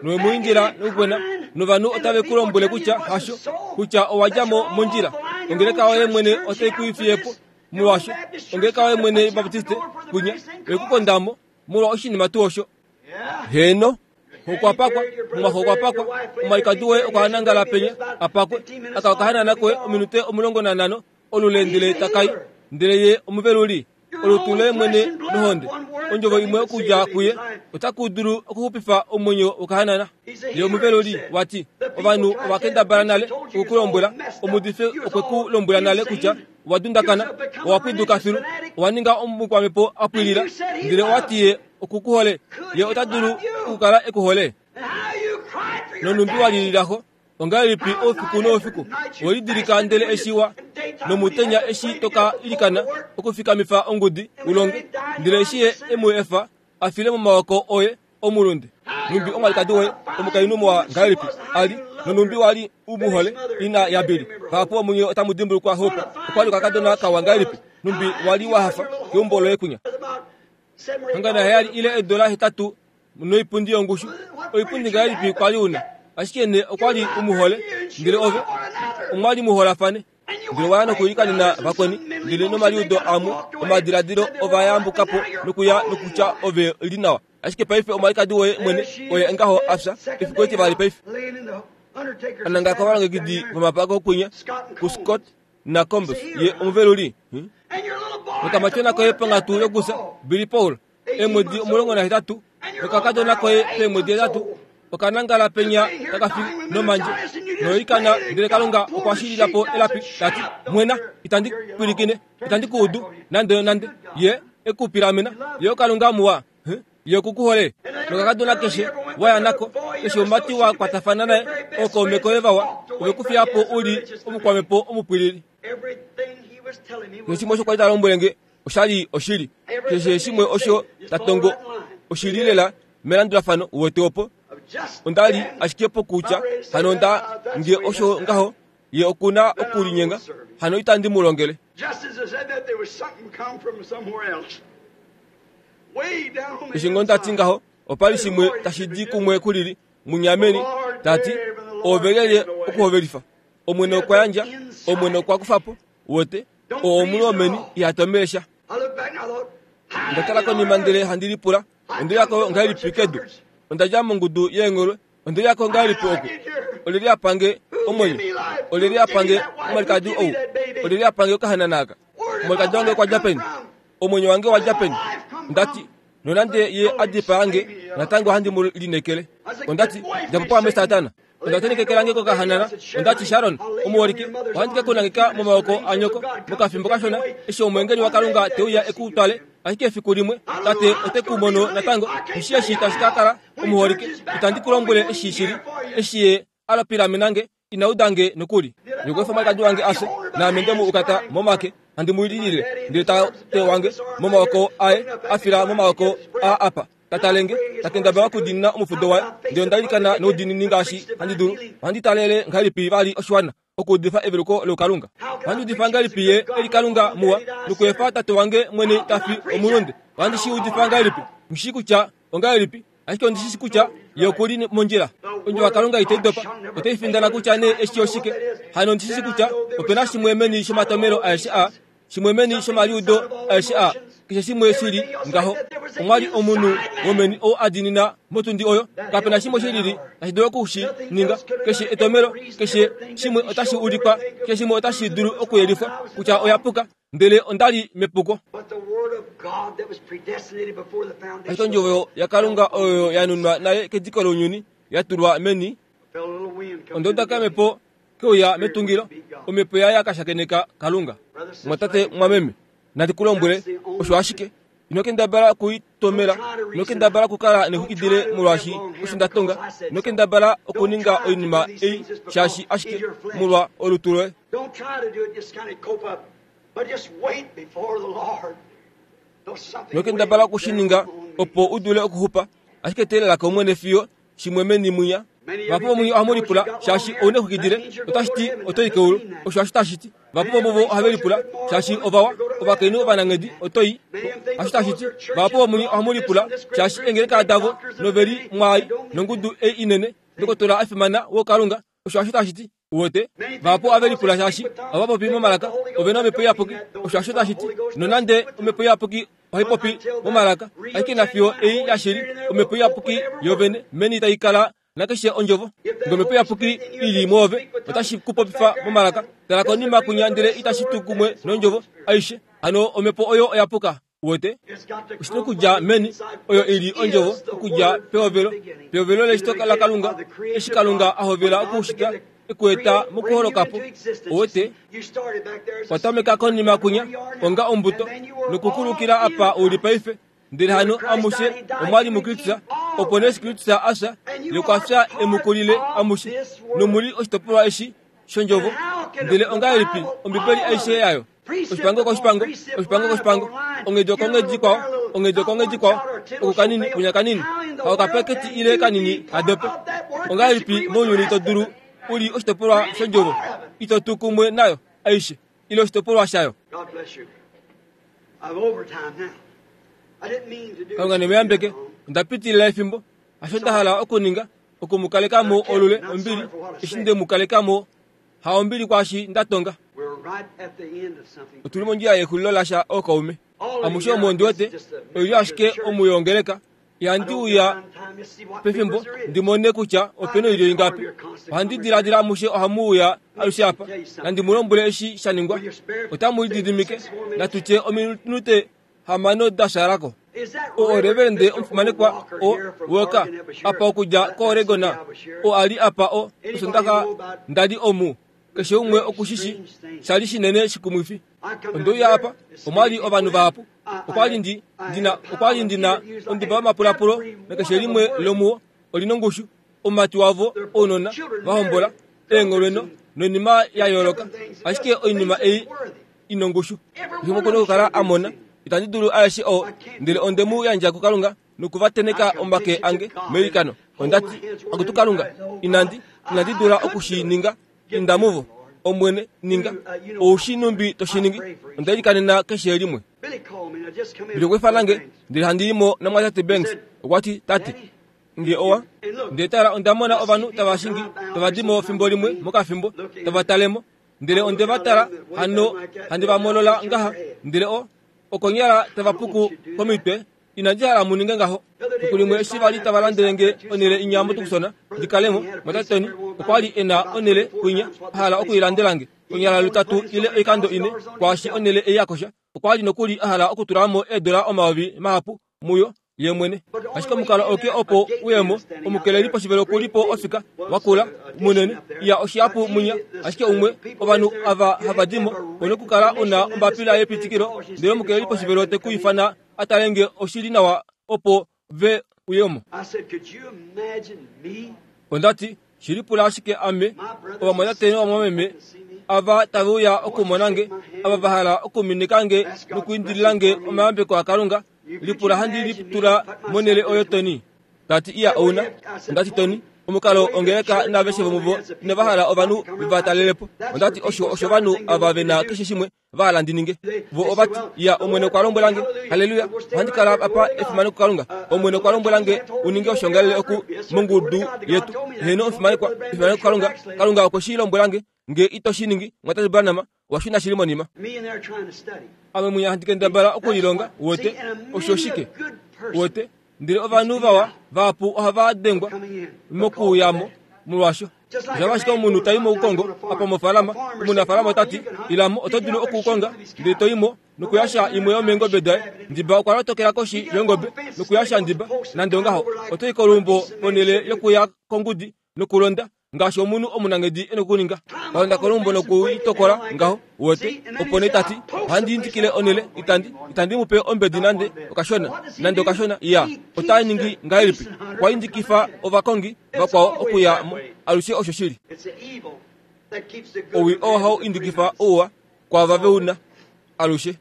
Nowe mu indila nokukwena, novanhu otave ku lombwele kutya hasho, kutya owa dja mo mondjila. Ongeleka yoye mwene otai ku ifiye po molwaasho. Ongeleka yoye mwene yObaptiste kunya oye ku konda mo molwa oshinima tuu osho. Heno. Okwa pakwa, omwaxo okwa pakwa, omwalikadi woye okwa nangala penya apakwe, aka okahanana koye ominute omulongo nanhano olule ndele takai, ndele ye omuveluli. Olutu loye mwene nohonde, ondjovo imwe okudja kuye otaku dulu okuxupifa omwenyo wokahanana. Ye omuveluli wati, ovanhu ova kendabala nale okukulombwela, omuudifi okwe ku lombwela nale kutya owa dundakana, owa pwiduka filu, owa ninga omukwamhepo a pwilila, ndele owati ye okukuhole, ye ota dulu okukala ekuhole. Nonumbi wa lililaxo, ongahelipi oufiku noufiku welidilika ndele eshi wa nomutenya eshi toka ilikana okufikamifa ongudi ulonge, ndele eshi ye emu efa a file momaoko oye omulunde. Numbi omwalikadi woye omukainhu muwa ngahelipi a li, nonumbi wali u mu hole ina yaBili. Vahapu vomunye otamu dimbulukwa Hope okwa li okakadona kawa ngahelipi, numbi wali wa hafa keumbo loye kunya. Hangana heyali ile eedola hetatu noipundi yongushu, oipundi ngahelipi kwali una, ashike ne okwa li u mu hole, ndele ove omwali mu holafane. Ndele waya nokuilikanena vakweni, ndele nomaliudo amwe omadiladilo ova yambuka po nokuya nokutya ove li nawa. Ashike paife omwalikadi woye mwene oye ngaho a fya efiku etivali paife. Ananga kovalongekidi vomapako kunya kuScott naCombs ye omuveluli. Hmm? Nokamatyona koye ponghatu yokufya Billy Paul eemwedi omulongo nahetatu, nokakadona koye peemwedi hetatu okanangala penya takafi nomandje noikana, ndele Kalunga okwa shilila po elapi tati, mwena, itandi pwilikine, itandi ku udu nande nande. Ye eku pilamena, ye oKalunga muwa, ye okukuhole. Nokakadona keshe waya nako, keshe omumati wa kwatafana naye, ookaume koye vawa, ove ku fiya po u li omukwamhepo omupwilili. Keshe shimwe osho kwali ta lombwele nge oshali oshili. Keshe shimwe osho ta tongo oshili lela melandulafano uwete opo. Onda li ashike pokutya hano nda nge osho ngaho ye okuna okulinyenga, hano itandi mu longele. Eshi ngo ndati ngaho, opa li shimwe tashi di kumwe kulili munyameni, tati ove lyelye okuhovelifa. Omwene okwa yandja, Omwene okwa kufa po, uwete, oo omunhu womeni iha tomele sha. Onda tala konima ndele handi lipula, onde uyako ngahelipi kedu? Onda dja mongudu yeengholwe, onde uyako ngahelipi oku? Olyelye a pange omwenyo? Olyelye a pange omwalikadi ou? Olyelye a pange okahanana aka? Omwalikadi wange okwa dja peni? Omwenyo wange owa dja peni? Onda ti, nonande ye a dipaa nge, natango ohandi mu lineekele. Onda ti, dja po pwaame Satana. Onda tenekekela nge kokahanana. Onda ti, Sharon, omuholike, ohandi ke ku nangeka momaoko anyoko mokafimbo kashona, eshi omweengeli waKalunga te uya e ku twale. Ashike efiku limwe, tate ote ku mono natango. Eshi eshi tashi ka kala, omuholike, itandi ku lombwele eshi shili. Eshi ye a lopilamena nge, ina uda nge nokuli. Nokweefa omwalikadi wange a fye, naame nde mu ukata momake, handi mu lilile, ndele tate wange momaoko aye a fila momaoko a apa. Ta tale nge, ta kendabala okudiinina omufudo waye, ndele onda ilikana noudiinini ngaashi handi dulu. Ohandi talele ngahelipi vali oshiwana okuudifa eveluko lokalunga? Ohandi udifa ngahelipi ye e li Kalunga muwa, nokuefa tate wange mwene ta fi omulunde? Ohandi shi udifa ngahelipi? Nghi shii kutya ongahelipi, ashike ondi shi shii kutya ye oku li mondjila. Ondjovo yaKalunga itai dopa, otai findana kutya nee eshi oshike. Hano ondi shi shii kutya ope na shimwe meni shomatomelo aeshe aa, shimwe meni shomaliudo aeshe aa, keshe shimwe shi li ngaho. Omwa li omunhu womeni ou a diinina motundi oyo. Kape na shimwe shi lili tashi dulu oku shi ninga. Keshe etomelo, keshe shimwe otashi ulikwa, keshe shimwe otashi dulu okuyelifwa kutya oya puka, ndele onda li mepuko. Ashike ondjovo yaKalunga oyo ya nunwa nale kediko lounyuni, ya tulwa meni, onda uda kamhepo keuya metungilo, omhepo yaye ya ka shakeneka Kalunga. Mwatate mwameme, nandi ku lombwele, osho ashike. Ino kendabala okuitomela, ino kendabala okukala nexwikidile molwaashi osho nda tonga, ino kendabala okuninga oinima ei shaashi ashike molwa olutu loye. Ino kendabala okushininga opo u dule okuxupa, ashike teelela kOmwene fiyo shimwe meni mwinya. Vahapu vomunye ohamu lipula shaashi ouna exwikidile otashi ti oto i keulu, osho hasho tashi ti. Vahapu vomuvo ohave lipula shaashi ovawa ovakainhu ovananghedi oto i, hasho tashi ti. Vahapu vomunye ohamu lipula shaashi eengeleka davo noveli mwaai nongudu ei inene ndokotola a fimana wokalunga, osho hasho tashi ti. Uwete, vahapu ohave lipula shaashi ohava popi momalaka ove na omhepo iyapuki, osho hasho tashi ti. Nonande omhepo iyapuki ohai popi momalaka, ashike nafiyo ei yashili omhepo iyapuki yovene meni tai kala nakeshe ondjovo. Ngee omhepo iyapuki ili mwoove otashi ku popifa momalaka, tala konima kunya ndele itashi tu kumwe nondjovo aishe, hano omhepo oyo oya puka. Uwete, oshina okudja meni, oyo ili ondjovo okudja pehovelo, pehovelo leshito laKalunga, eshi Kalunga a hovela okushita ekueta mokuholokapo. Uwete, watameka konima kunya onga ombuto nokukulukila apa uli paife, ndele hano amushe omwali muKristus, opo nee Kristus a fya, ye okwa fya emukulile amushe, nomuli oshitopolwa eshi shondjovo. Ndele ongahelipi Ombibeli aishe yayo, oshipango koshipango, oshipango koshipango, onghedi okonghedi ikwao, onghedi okonghedi ikwao, oku kanini kunya kanini, haokapaketi ile kanini hadope. Ongahelipi mounyuni to dulu uli oshitopolwa shondjovo ito tu kumwe nayo aishe ile oshitopolwa shayo? Kalunga ne mu yambeke. Onda pitilila efimbo. Hasho nda hala okuninga, oku mu kaleka mo olule ombili eshi nde mu kaleka mo, ha ombili kwaashi nda tonga. Otuli mondjila yexulilo lasha ookaume. Amushe omo ndi wete oilyo ashike omu yongeleka. Ihandi uya pefimbo ndi mone kutya opena oilyo ingapi. Ohandi diladila amushe ohamu uya alushe apa. Nandi mu lombwele eshi sha ningwa. Otamu lididimike, natu tye ominute hamano da shalako. O reverende omufimanekwa o Walker apa okudja koOregon, o a li apa o osondaxa nda li omu. Keshe umwe okushishi sha li shinene shikumwifi. Onde uya apa, omwa li ovanhu vahapu. Okwa li ndi ndina okwa li ndina onduba yomapulapulo nakeshe limwe lomuwo oli nongushu. Omumati wavo ounona va hombola eengholweno noinima ya yooloka, ashike oinima ei inongushu. Keshe umwe okuna okukala a mona. Itandi dulu aeshe oo, ndele onde mu yandja kuKalunga nokuvateneka omake ange meilikano. Onda ti, Akutu Kalunga, inandi inandi dula oku shi ninga, inda muvo. Omwene, ninga ou shi numbi to shi ningi. Onda ilikanena keshe limwe. Billy okwa ifana nge, ndele handi i mo namwatate Banks. Okwa ti, Tate, nge owa ndele tala onda mona ovanhu tava shingi tava di mo fimbo limwe mokafimbo tava tale mo, ndele onde va tala hano handi va molola ngaha, ndele o okonyala tava puku komitwe. Inandi hala mu ninge ngaho. Efiku limwe eshi vali tava landele nge onhele inya moTucson ndi kale mo, mwatate Tony okwa li e na onhele kwinya a hala okuilandela nge konyala lutatu ile oikando ine kwaashi onhele ei ya kosha. Okwa li nokuli a hala okutula mo eedola omayovi mahapu muyo ye mwene. Ashike omukalo auke opo uye mo, omukeleli poshivelo oku li po ofika wakula munene, iya oshihapu mwinya, ashike umwe ovanhu ava hava di mo ouna okukala una ombapila yepitikilo, ndele omukeleli poshivelo te ku ifana a tale nge oshi li nawa opo ve uye mo. Onda ti, shi lipula ashike ame, ovamwatate novamwameme ava tave uya okumona nge, ava va hala okuminika nge nokuindilila nge omayambeko aKalunga, lipula handi litula monhele oyo Tony. Ta ti iya ouna. Onda ti Tony, omukalo ongeleka naaveshe vomuvo inava hala ovanhu veva talele po. Onda ti osho osho ovanhu ava ve na keshe shimwe va hala ndi ninge. Vo ova ti, iya, Omwene okwa lombwela nge, haleluya, ohandi kala apa efimano kuKalunga. Omwene okwa lombwela nge u ninge oshoongalele oku mongudu yetu. Heeno omufimanekwa, efimano kuKalunga. Kalunga okwe shi lombwela nge, nge ito shi ningi, mwatate Branham, owa shuna shili monima. Ame mwinya handi kendabala okulilonga, uwete, osho shike, uwete, ndele ovanhu vawa vahapu ohava dengwa mokuuya mo molwaasho. Osha ashike omunhu tai moukongo apa mofaalama, omunafaalama ota ti, ila mo, oto dulu okukonga, ndele to i mo nokuyasha imwe yomeengobe daye. Ndiba okwa lotokela koshi yongobe nokuyasha ndiba, nande ongaho, oto i koluumbo ponhele yokuya kongudi nokulonda Ngaashi omunhu omunangedi e nokuninga. Kalonda kolumbo nokuitokola ngaho uwete. Opo nee tati ohandi indikile onele itandi itandi mu pe ombedi nande okashona nande okashona ya ota ningi ngahelipi okwa indikifa ovakongi vakwao okuya mo alushe osho shili. Owi oo hau indikifa ouwa kwava veuna alushe.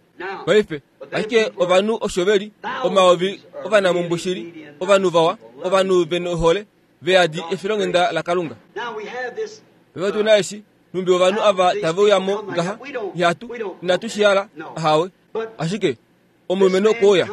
Paife ashike ovanhu osho veli omayovi ovanamumbushili ovanhu vawa ovanhu venohole veyadi efilonghenda laKalunga. Paife tuna eshi numbi ovanhu ava tave uya mo ngaha ihatu inatu shi hala ahawe ashike omulumenhu okouya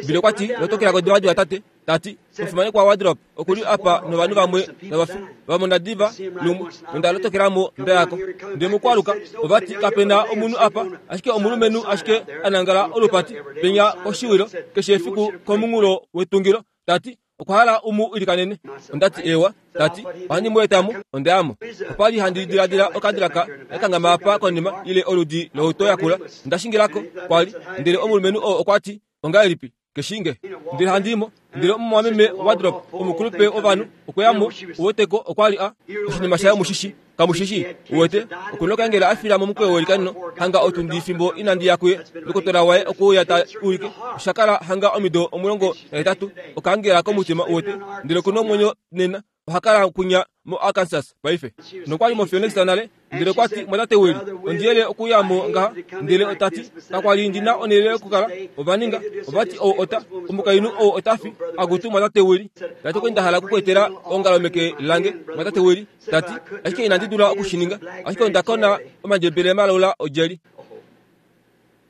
Bile okwati lotokela kodivadiva tate tati omufimanekwa Wardrop okuli apa novanhu vamwe navafi vamona diva lumwe nonda lotokelamo ndayako ndele mokwaluka ovati kapena omunhu apa ashike omulumenhu ashike anangala olupati penya koshiwilo keshe efiku komunghulo wetungilo tati okwa hala umu ilikanene. Ondati ewa tati ohandi mu etamo ondayamo. Okwali handi diladila okadilaka yakangama apa konima ile oludi louto yakula ndashingilako kwali ndele omulumenhu oo okwati ongahelipi keshinge ndele handimo ndele omumwameme Wardrop omukulupe ovanhu okweyamo uweteko okwali a oshinima shaye mushishi kamushishi uwete okunokangela afila momukweyo welikanino hanga otundi fimbo inandi ya kuye ndokotola waye okuuya ta ulike oshakala hanga omido omulongo nahetatu okangela komutima uwete ndele okuna omwenyo nena ohakala kunya mo Arkansas paife nokwali mo Phoenix nale ndele okwati mwatate Willie ondiyele okuyamo ngaha ndele otati kakwali ndina onele yokukala ovaninga ovati ou ota omukainhu ou otafi akutu mwatate Willie tati okwe ndahala okukwetela ongalo meke lange mwatate Willie tati ashike inandi dula okushininga ashike ondakona omandjebele malaula odjeli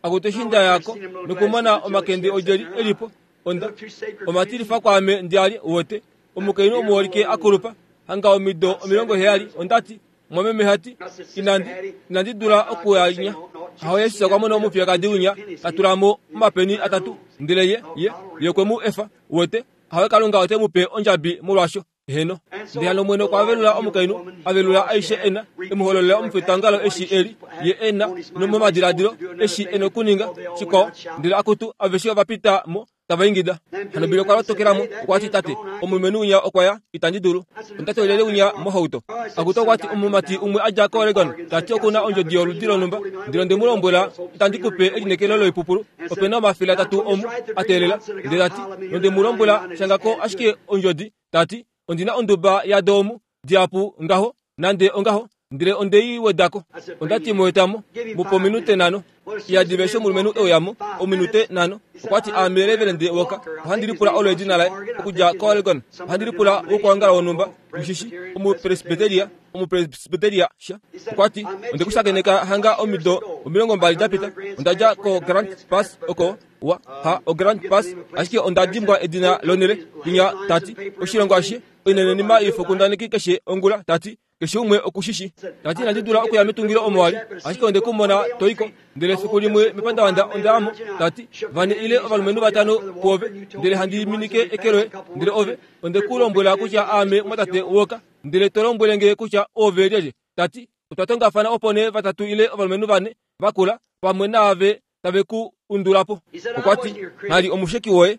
akutu eshi ndayako nokumona omakende odjeli elipo onda omatilifa kwaame ndiali uwete omukainhu omuholike akulupa hanga omido omilongo heyali ondati mwameme hati inandi inandi dula okuyanya aho Yesu okwamona omufiyakadi winya tatulamo omapeni atatu ndele ye ye ye okwe mu efa uwete aho Kalunga ote mu pe ondjabi molwasho heno. Ndele hano Omwene okwa velula omukainhu avelula aishe ena emuhololela omufetangalo eshi eli ye ena nomomadiladilo eshi ena okuninga shikwao ndele akutu aveshe ovapita mo tava ingida. Hano Bile okwa lotokelamo okwati tate omulumenhu winya okwaya itandi dulu ondati olyelye winya mohauto akutu okwati omumati umwe adja ko Oregon tati okuna ondjodi yoludi lonhumba ndele onde mu lombwela itandi kupe elineekelo loipupulu opena omafele atatu omu ateelela ndele tati nonde mu lombwela shangako ashike ondjodi tati ondina onduba yado omu dihapu ngaho nande ongaho ndele ondei wedako ondati muetamo mupe ominute nhano iyadiva eshi omulumenhu euyamo ominute nhano okwati aame Reverend Walker ohandi lipula olo edina laye okudja ko Oregon ohandi lipula wokwoongala wonhumba mushishi omupresbyteria omupresbyteria sha okwati ondekushakeneka hanga omido omilongo mbali dapita ondadja ko Grant Pass oko wa ha o Grant Pass ashike onda dimbwa edina lonele kunya tati oshilongo ashishe oinenenima ifokundaneki keshe ongula tati keshe umwe okushishi tati inandi dula okuya metungilo omo wali ashike onde kumona toiko ndele efiku limwe mepandavanda ondayamo tati vane ile ovalumenhu vatano puove ndele handi minike eke loye ndele ove onde ku lombwela kutya aame mwatate Walker ndele to lombwele nge kutya oove lyelye tati otwa tongafana opo nee vatatu ile ovalumenhu vane vakula pamwe naave tave ku undulapo. Okwati nghali omusheki woye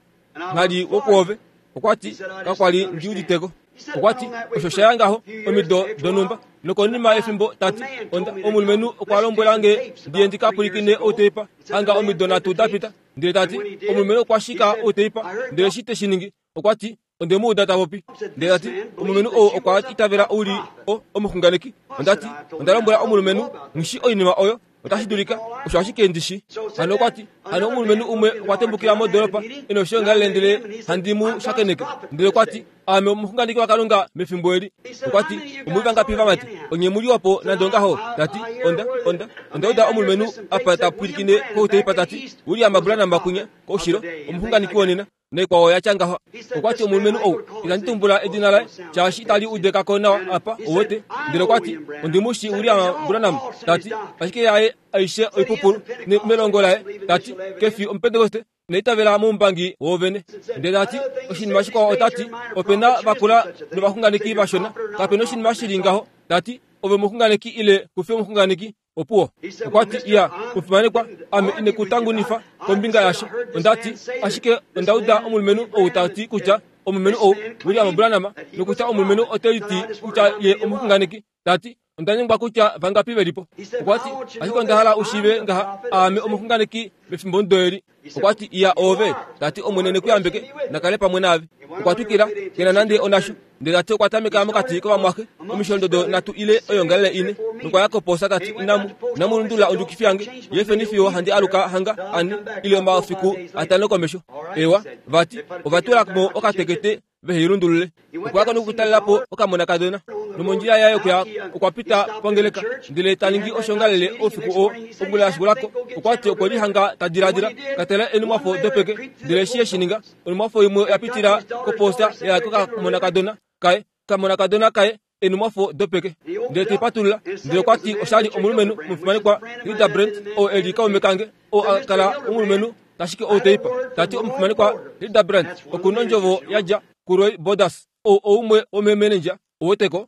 nghali wokwoove okwati kakwali ndiuditeko. Okwati osho shaya ngaho omido donhumba nokonima yefimbo tati onda omulumenhu okwa lombwela nge ndiye ndikapwilikine outeipa hanga omido nhatu dapita ndele tati omulumenhu okwa shika outeipa ndele eshi te shi ningi okwati onde mu uda ta popi ndele tati omulumenhu ou okwa itavela ouli o omuxunganeki ondati onda lombwela omulumenhu nghishi oinima oyo otashi dulika osho ashike ndishi. Hano okwati hano omulumenhu umwe okwa tembukila modoropa ena oshiongalele ndele handi mu shakeneke ndele okwati aame omuxunganeki waKalunga mefimbo eli. Okwati omuli vangapi vamati onye muli wapo nande ongaho tati onda onda onda uda omulumenhu apa ta pwilikine kouteipa tati William Branham kunya koushilo omuxunganeki wonena naikwao yatya ngaho. Okwati omulumenhu ou inandi tumbula edina laye shaashi itali udekako nawa apa uwete ndele okwati ondimushi William Branham tati ashike yaye aishe oipupulu melongo laye tati kefi omupentekoste neitavela moumbangi woovene ndele tati oshinima shikwao otati opena vakula novaxunganeki vashona kapena oshinima shili ngaho tati ove omuxunganeki ile kufi omuxunganeki opuwo. Okwati iya omufimanekwa ame inekutangunifa kombinga yasho ondati ashike ondauda omulumenhu ou tati kutya omulumenhu ou William Branham nokutya omulumenhu ote liti kutya ye omuxunganeki tati onda nyengwa kutya vangapi velipo okwati ashike onda hala ushiive ngaha aame omuxunganeki mefimbo eli okwati iya ove tati Omwene nekuyambeke nakale pamwe naave okwa twikila kena nande onasho ndele tati okwa tameka mokati kovamwaxe omisholondodo nhatu ile oyongalele ine nokwa ya koposa tati inamu inamu lundulula ondjukifi yange yeefeni fiyo handi aluka hanga ane ile omafiku atano komesho ewa vati ovatula mo okatekete veheilundulule okwa yaka nokutalelapo okamonakadona nomondjila yaye okuya okwa pita pongeleka ndele taningi oshongalele oufiku oo ongula yashikulako okwati okwe lihanga tadiladila katala enumwafo dopeke ndele eshi eshininga onumwafo imwe oya pitila koposta yaya kokamonakadona kaye kamonakadona kaye enumwafo dopeke ndele teipatulula ndele okwati oshali omulumenhu omufimanekwa Hilda Brent oo eli kaume kange oo akala omulumenhu tashike ou teipa tati omufimanekwa Hilda Brent okuna ondjovo yadja kuRoy Borders ou oumwe womeemenendja oweteko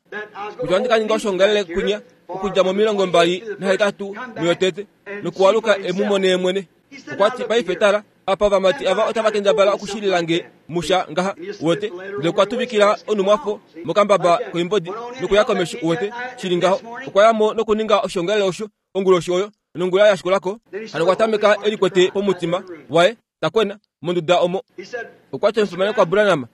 kutya ohandi ka ninga oshongalele kunya okudja momilongo mbali nahetatu muyotete nokuwaluka emumone mwene okwati paife tala apa ovamati ava otava kendabala okushililange musha ngaha uwete ndele okwa tuvikila onumwafo mokambaba koimbodi nokuya komesho uwete shili ngaho okwa yamo nokuninga oshongalele osho onguloshi oyo nongula yashikulako hano okwa tameka elikwete pomutima waye takwena monduda omo okwati omufimanekwa Branham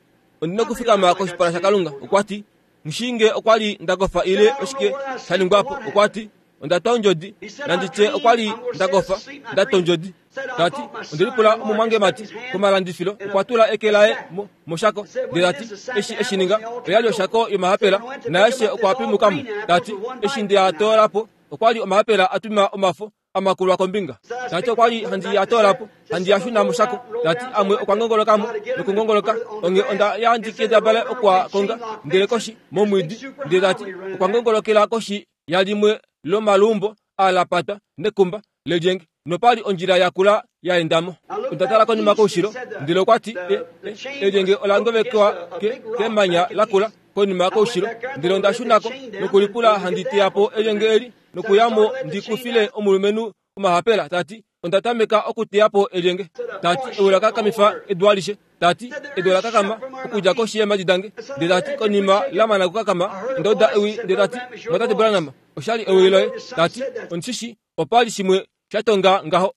ondina okufikama koshipala shaKalunga okwati nshinge okwali ndakofa ile oshike shaningwapo okwati onda twa ondjodi nanditye okwali ndakofa ndatwa ondjodi tati ondelipula omumwangemati komalandifilo okwa tula eke laye moshako ndele tati eshi eshininga oyali oshako yomahapela naeshe okwa pimukamo tati eshi ndeyatoolapo okwali omahapela atwima omafo amakulwa kombinga tati okwali handi yatoolapo handi yashuna moshako tati amwe okwa ngongolokamo nokungongoloka onge onda yandikendabala okwa konga ndele koshi momwiidi ndele tati okwa ngongolokela koshi yalimwe lomalumbo alapata nekumba lelyenge nopali ondjila yakula yaendamo onda tala konima koushilo ndele okwati elyenge ola ngovekwa kemanya lakula konima koushilo ndele onda shunako nokulipula handi teyapo elyenge eli nokuyamo ndikufile omulumenhu omahapela tati onda tameka okuteyapo elyenge tati ewi lakakamifa edu alishe tati edu olakakama okudja koshi yeemadi dange ndele tati konima lamana okukakama onda uda ewi ndele tati mwatate Branham oshali ewi loye tati ondishishi opali shimwe shatonga ngaho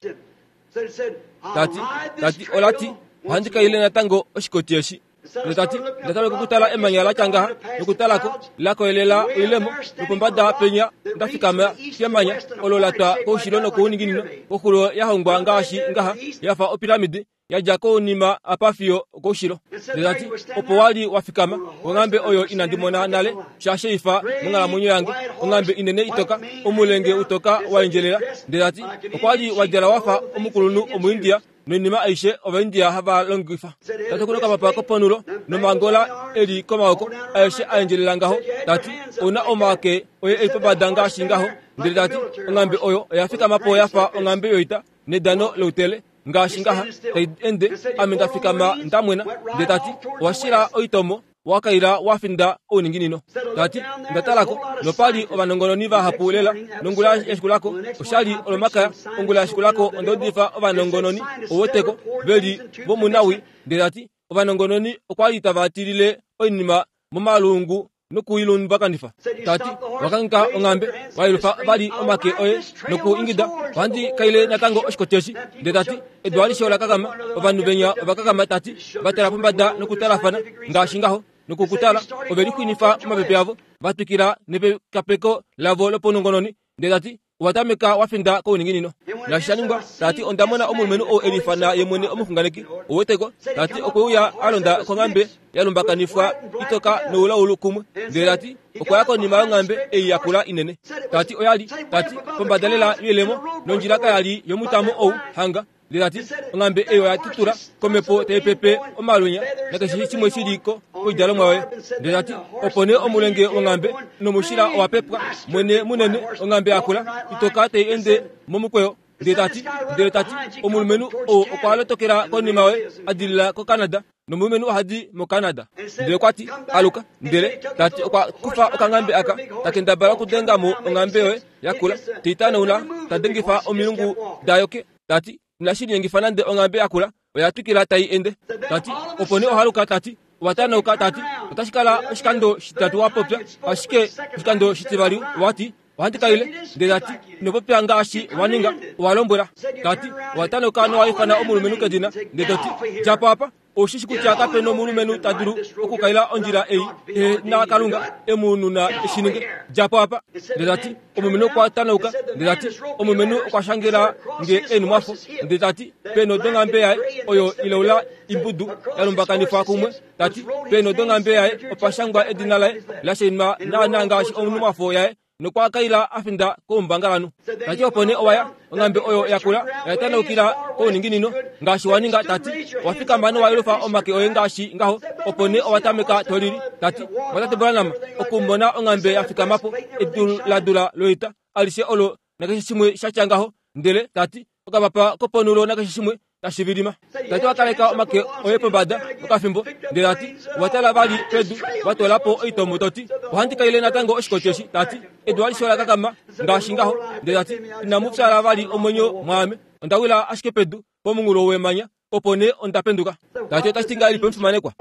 tati tati olati ohandi kaile natango oshikoti eshi ndele tati ndatameka okutala emanya latya ngaha nokutalako lakoyelela oilemo nopombada penya ndafikama kemanya olo latwa koushilo nokouninginino koxulo yahongwa ngaashi ngaha yafa opiramidi yadja kounima apa fiyo koushilo ndele tati opo wali wafikama onghambe oyo inandimona nale shasheifa monghalamwenyo yange onghambe inene itoka omulenge utoka waendjelela ndele tati okwali wadjala wafa omukulunhu omuindia noinima aishe ovaindia hava longifa tati okuna okapapa koponulo nomangola eli komaoko aeshe aendjelela ngaho tati ouna omake oye eli pombada ngaashi ngaho ndele tati onghambe oyo oya fikamapo yafa onghambe yoita nedano loutele ngaashi ngaha tai ende ame ndafikama ndamwena ndele tati owashila oitomo wakaila wafinda ouninginino tati ndatalako nopali ovanongononi vahapu lela nongula yashikulako oshali olomakaya ongula yashikulako onda udifa ovanongononi oweteko veli vomunawi ndele tati ovanongononi okwali tava tilile oinima momalungu nokuilumbakanifa tati wakanka onghambe wailufa vali omake oye nokuingida ohandi kaile natango oshikoti eshi ndele tati edu alishe olakakama ovanhu venya ovakakama tati vatala pombada nokutalafana ngaashi ngaho nokukutala ovelixwinifa omapepe avo vatwikila nepekapeko lavo lopaunongononi ndele tati owatameka wafinda kouninginino naashi shaningwa tati onda mona omulumenhu ou elifana ye mwene omuxunganeki oweteko tati okweuya alonda konghambe yalumbakanifwa itoka noulaulu kumwe ndele tati okwaya konima yonghambe ei yakula inene tati oyali tati pombada lela yoilemo nondjila kayali yomutamo ou hanga ndele tati onghambe ei oya tutula komepo taipepe omalwenya nakeshe shimwe shiliko koidalomwa yoye ndele tati opo nee omulenge wonghambe nomushila owapepwa mwene munene onghambe yakula itoka tai ende momukweyo ndele tati ndele tati omulumenhu ou okwa lotokela konima yoye adilila koCanada nomulumenhu ohadi moCanada ndele okwati aluka ndele tati okwa kufa okanghambe aka takendabala okudengamo onghambe yoye yakula teitanaula tadengifa omilungu dayo ke tati inashi linyengifa nande onghambe yakula oya twikila tai ende tati opo nee ohaluka tati Owa tanauka tati otashi kala oshikando shitatu wa popya ashike oshikando shitivali wati ohandi kaile ndele tati ino popya ngaashi wa ninga owa lombwela tati owa tanauka nowa ifana omulumenhu kedina ndele toti djapo apa oshishi kutya kape nomulumenhu ta dulu okukaila ondjila ei ehe na Kalunga emu nuna eshininge djapo apa ndele tati omulumenhu okwa tanauka ndele tati omulumenhu okwa shangela nge enumwafo ndele tati peno donghambe yaye oyo ileula imbudu ya lumbakanifwa kumwe tati peno donghambe yaye opa shangwa edina laye la shainwa naana ngaashi onumwafo yaye nokwa kaila afinda koumbangalanhu tati opo nee owaya onghambe oyo yakula oya tanaukila kouninginino ngaashi wa ninga tati owa fikama nowa yelufa omake oye ngaashi ngaho opo nee owa tameka tolili tati mwatate Branham okumona onghambe ya fikamapo edu ladula loita alishe olo nakeshe shimwe shatya ngaho ndele tati okapapa koponulo nakeshe shimwe tashi vilima tati wakaleka omake oye pombada okafimbo ndele tati watala vali pedu watolapo oitomo toti ohandi kaile natango oshikoti eshi tati edu alishe ola kakama ngaashi ngaho ndele tati inamu fyala vali omwenyo mwaame onda wila ashike pedu pomunghulo wemanya opo nee onda penduka tati otashi ti ngahelipi omufimanekwa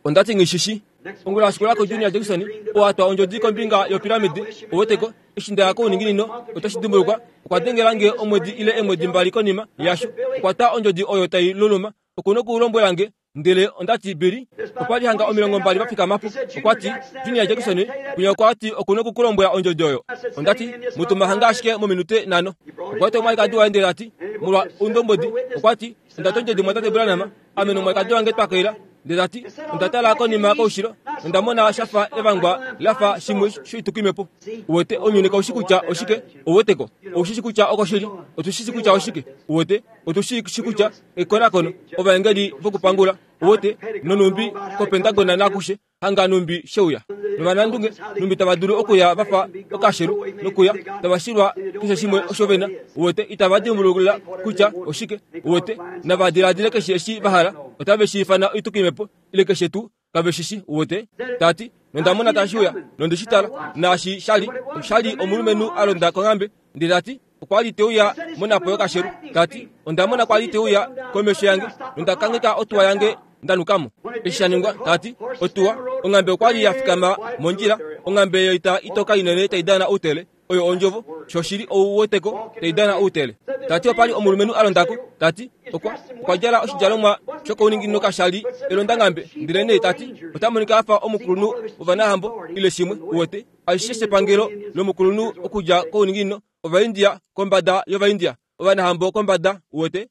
ondati ngishishi ongula yashikulako Junior Jackson owatwa ondjodi kombinga yopiramidi oweteko eshi ndaya kouninginino otoshi dimbulukwa okwa dengela nge omwedi ile eemwedi mbali konima yasho okwa ta ondjodi oyo tai luluma okuna okulombwela nge ndele ondati Billy okwa li hanga omilongo mbali va fikamapo okwati Junior Jackson kwinya okwati okuna okukulombwela ondjodi oyo ondati mutuma hanga ashike mominute nhano okwati omwalikadi waye ndele ati molwa oundombwedi okwati ondati ondjodi mwatate Branham ame nomwalikadi wange twakaila ndele tati onda tala konima koushilo onda mona shafa evangwa lafa shimwe shoitukwimepo uwete ounyuni kaushi kutya oshike ouweteko oushishi kutya okoshili otushishi kutya oshike uwete otushishi kutya ekonakono ovaengeli vokupangula uwete nonumbi kopentagona nakushe hanga numbi sheuya novanandunge numbi tava dulu okuya vafa okashelu nokuya tava shilwa keshe shimwe osho vena uwete itava dimbulula kutya oshike uwete nava diladile keshe eshi vahala otave shi ifana oitukwimepo ile keshe tuu kave shishi uwete tati nondamona tashi uya nondeshi tala naashi shali oshali omulumenhu a londa konghambe ndele tati okwa li teuya monapo yokashelu tati ondamona kwali teuya komesho yange nonda kangheka otuwa yange ndanukamo eshi sha ningwa tati otuwa onghambe okwa li ya fikama mondjila onghambe yoita itoka inene tai dana outele oyo ondjovo shoshili ouweteko tai dana outele tati opali omulumenhu a londako tati okwa okwa djala oshidjalomwa shokouninginino kashali elondanghambe ndele nee tati ota monika afa omukulunhu wovanahambo ile shimwe uwete alishe shepangelo lomukulunhu okudja kouninginino ovaindia kombada yovaindia ovanahambo kombada uwete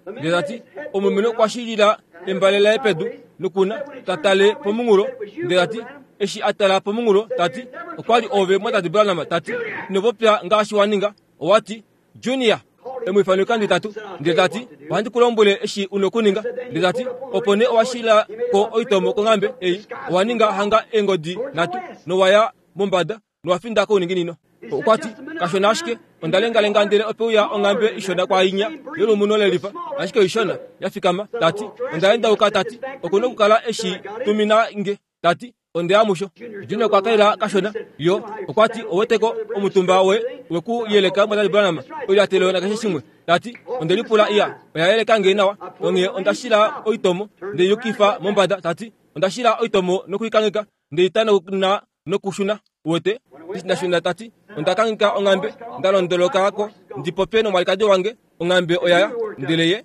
ndele tati omulumenhu okwa shilila embale laye pedu nokuna tatale pomunghulo ndele tati eshi a tala pomunghulo tati okwa li ove mwatate Branham tati ino popya ngaashi wa ninga owati Junior emwifano oikando itatu ndele tati ohandi ku lombwele eshi una okuninga ndele tati opo nee owa shila ko oitomo konghambe ei owa ninga hanga eengodi nhatu nowaya mombada nowa finda kouninginino okwati kashona ashike onda lengalenga ndele opeuya onghambe ishona kwainya yolumuno lelifa ashike oishona ya fikama tati onda endauka tati okuna okukala eshi tumina nge tati ondeya musho Junior okwa kaila kashona yo okwati oweteko omutumba we weku yeleka mwatate Branham oilyatelo nakeshe shimwe tati onde lipula iya oya yeleka nge nawa onghee onda shila oitomo nde yukifa mombada tati onda shila oitomo nokuikangheka nde itanauna nokushuna uwete ndashuna tati onda kangheka onghambe nda londolokako ndi popye nomwalikadi wange onghambe oyaya ndele ye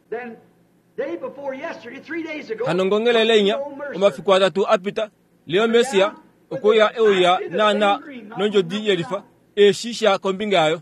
hano ngongelele inya omafiku atatu apita Leo Messia okuya euya naana nondjodi yelifa eshi kombinga yayo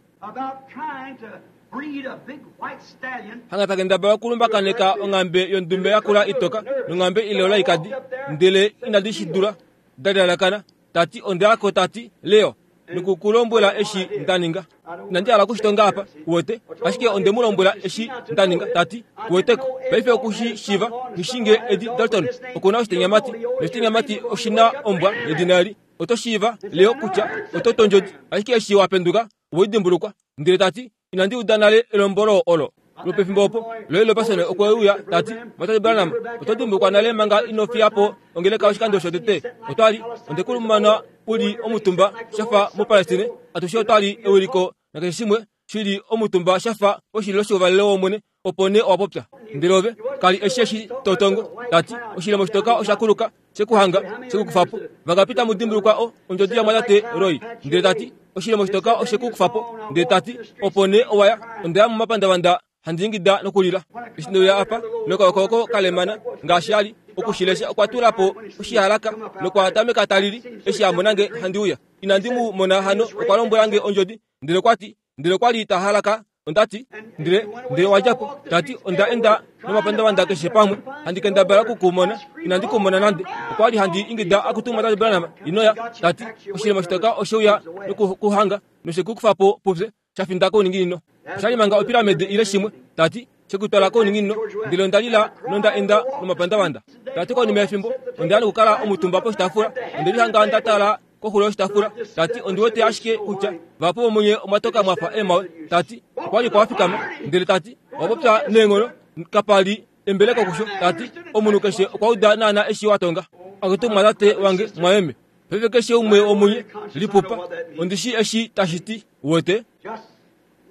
hanga takendabala okulumbakaneka onghambe yondume yakula itoka nonghambe ileola ikadi ndele inadi shidula dalilalakana tati ondeyako tati Leo nokukulombwela eshi ndaninga inandi hala okushitonga apa uwete ashike onde mu lombwela eshi ndaninga tati uweteko paife okushi shiva ngishinge Eddie Dalton okuna oshitenyamati noshitenyamati oshina ombwa yedina eli oto shiiva Leo kutya oto tondjodi ashike eshi wapenduka oweidimbulukwa ndele tati inandi uda nale elombolo olo lwopefimbo opo Roy Robertson okwe uya tati mwatate Branham oto dimbulukwa nale manga ino fiyapo ongeleka oshikando shotete otwali ondekulumana uli omutumba shafa moPalestine atushe otwali ewiliko nakeshe shimwe shili omutumba shafa poshililo shouvalelo wOmwene Opo nee owa popya. Ndele ove kali eshi eshi totongo. Tati oshilemo shitoka osha kuluka shekuhanga shekukufapo. Vangapita mudimbulukwa o ondjodi yamwatate Roy. Ndele tati oshilemo shitoka oshekukufapo. Ndele tati opo nee owaya ondaya momapandavanda handi ingida nokulila. Eshi ndeuya apa nokaokoko kalemana ngaashi ali okushilesha okwa tula po oshihalaka nokwa tameka talili eshi a mona nge handi uya. Inandi mu mona hano okwa lombwela nge ondjodi. Ndele okwa ti ndele okwa li ta halaka ondati ndele ndele wadja po. Tati onda enda nomapandavanda keshe pamwe handi kendabala okukumona inandi kumona nande. Okwa li handi ingida akutuma Tate Branham inoya. Tati oshilemo shitoka osheuya nokuhanga noshekukufapo pufye shafinda kouninginino. Oshali manga opiramide ile shimwe. Tati shekutwala kouninginino. Ndele onda lila nonda enda nomapandavanda. Tati konima yefimbo onda ya nokukala omutumba poshitaafula. Onde lihanga nda tala koxulo yoshitaafula. Tati ondi wete ashike kutya vahapu vomunye omwatoka mwafa eemawe. Tati okwa li kwafikama. Ndele tati owa popya neenghono kapa li embeleko kusho. Tati omunhu keshe okwa uda naana eshi wa tonga. Akutu mwatate wange mwaeme. Paife keshe umwe womunye lipupa. Ondi shii eshi tashi ti wete. Just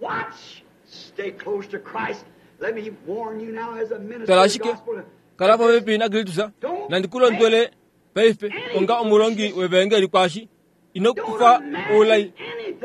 watch. Stay close to Christ. Let me warn you now as a minister Tala of the ashike gospel. kala popepi naKristus. Nandi ku londwele paife onga omulongi wevangeli kwashi. Ino kufa oulai.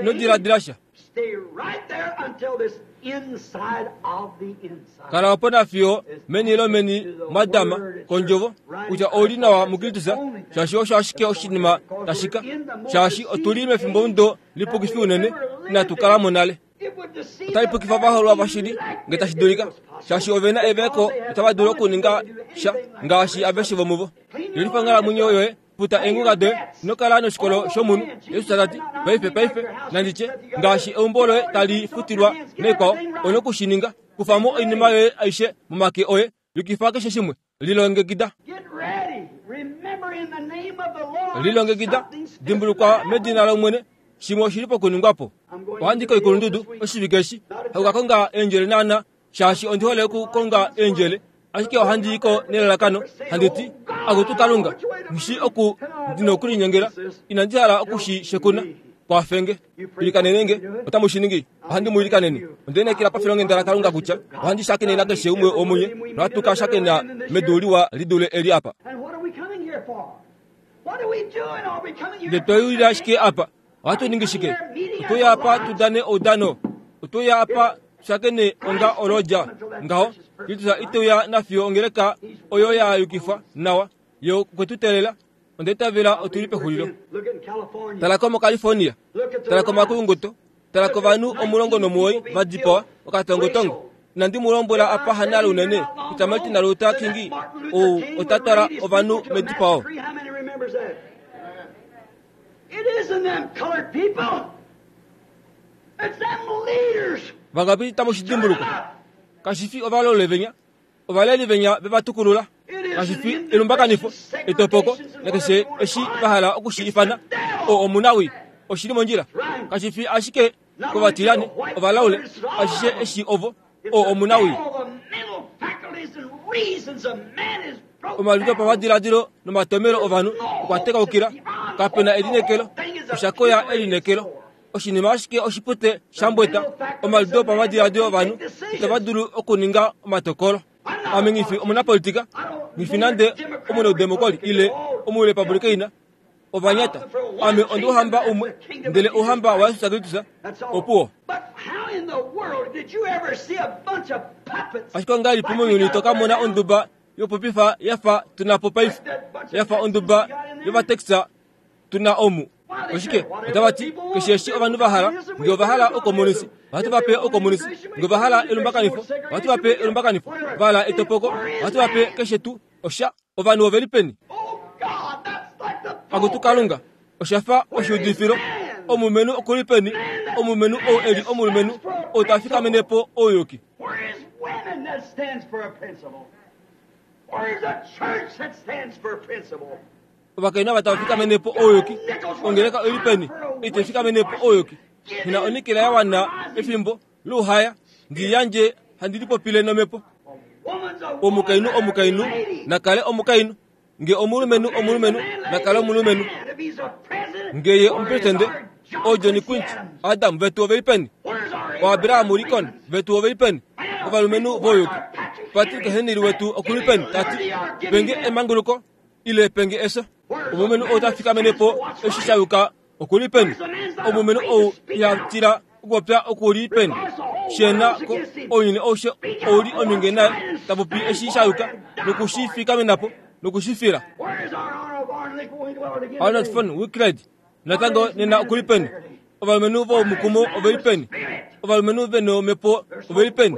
Ino diladila sha. Stay right there until this inside of the inside. Kala opo nafiyo meni lomeni mwadama kondjovo kutya ouli nawa muKristus shaashi osho ashike oshinima tashika shaashi otuli mefimbo mudo lipukifi unene inatu kala mo nale. It would deceive Otali pukifa ovaholwa vashili nge tashi dulika shaashi ovena eveko otava dulu okuninga sha ngaashi aveshe vomuvo. Yelifa onghalamwenyo yoye futa eengunga doye ino kala noshikolo shomunhu. Jesus tati paife paife nanditye ngaashi eumbo loye tali futilwa naikwao ono okushininga. Kufamo oinima yoye aishe momake oye yukifa keshe shimwe. Lilongekida. Get ready. Remember in the name of the Lord. Lilongekida. something's Dimbulukwa medina lOmwene shimwe oshili pokuningwapo. Ohandi koikulundudu oshivike eshi hakukakonga eendjele naana shaashi ondi hole okukonga eendjele ashike ohandi iko nelalakano handi ti akutu Kalunga nghishi oku ndina okulinyengela inandi hala okushi shekuna kwafenge. Ilikanenenge otamu shi ningi. Ohandi mu ilikanene. Onde lineekela pafilonghenda laKalunga kutya ohandi shakene nakeshe umwe womunye nohatu ka shakena medu liwa li dule eli apa. And what are we coming here for? What are we doing? Are we coming here Ndele tweyulila ashike apa. Ohatu ningi shike? Otweya apa tudane oudano. Otweya apa tushakene onga olodja. Ngaho, Kristus iteuya nafiyo ongeleka oyo ya yukifwa nawa yo okwetutelela. Onde itavela otuli pexulilo. Look at California. Tala ko moCalifornia. Look at the Tala komakulunguto. Tala kovanhu omulongo nomuwoi va dipawa okatongotongo. Inandi mu lombwela apa hanale unene kutya Martin Luther King ou ota twala ovanhu medipao. How many remembers that? It isn't them colored people. It's them leaders. Vangapi tamu shi dimbuluka? Kashi fi ovalole venya, ovaleli venya veva tukulula. Kashi fi elumbakanifo, etopoko, nakeshe eshi va hala okushi ifana o omunawi oshili mondjila. Kashi fi ashike kovatilani ovalaule, ashishe eshi ovo o omunawi. All the mental faculties and reasons of man is broke Omaludo down. pamadiladilo nomatomelo ovanhu okwa tekaukila. Kapena elinekelo, oshakoya elinekelo. Oshinima ashike oshipute shambweta. Omaludo pamadiladilo ovanhu itava dulu okuninga omatokolo. Ame nghifi omunapolitika, nghifi nande omunaudemokoli ile omurepublikeina. Ovanyata. Ame ondi ouhamba umwe, ndele ouhamba waJesus Kristus That's all. opuwo. But how in the world did you ever see a bunch of puppets? Ashike ongahelipi mounyuni to ka mona onduba yopopifa yafa tuna po paife, yafa onduba yovatexa tuna omu? Oshike otava ti keshe eshi ovanhu va hala, nge ova hala okomunisi ohatu va pe okomunisi, nge ova hala elumbakanifo ohatu va pe elumbakanifo, va hala etopoko ohatu va pe keshe tuu osha. Ovanhu oveli peni? Oh God, that's like the Akutu Kalunga, oshafa oshiudifilo. Omulumenhu okuli peni? Omulumenhu ou eli omulumenhu ou ta fikamene po ouyuki. Where is women that stands for a principle? Where is a church that stands for a principle? Ovakainhu ava tava fikamene po ouyuki. Ongeleka oili peni? Ite fikamene po ouyuki. Hina onikela ya wana efimbo louhaya ndi yandje handi lipopile nomhepo. Woman's a Omukainhu woman, omukainhu lady. nakale omukainhu. Nge omulumenhu omulumenhu nakale omulumenhu. If he's a president, Nge ye where is omupresidente our John o John Quincy Quincy Adams? Adam vetu oveli peni? Where's our O Abraham Abraham Lincoln Lincoln? vetu oveli peni? Ovalumenhu vouyuki. Patrick Henry wetu okuli peni tati penge emanguluko ile penge efyo. Omulumenhu ou ta fikamene po eshi sha yuka okuli peni. Omulumenhu ou iha tila okupopya okuli peni. Shena ko ounyuni aushe ouli ominge naye ta popi eshi sha yuka nokushi fikamena po nokushi fila. Arnold von Winkelried natango nena okuli peni. Ovalumenhu vomukumo oveli peni. Ovalumenhu vena omhepo oveli peni.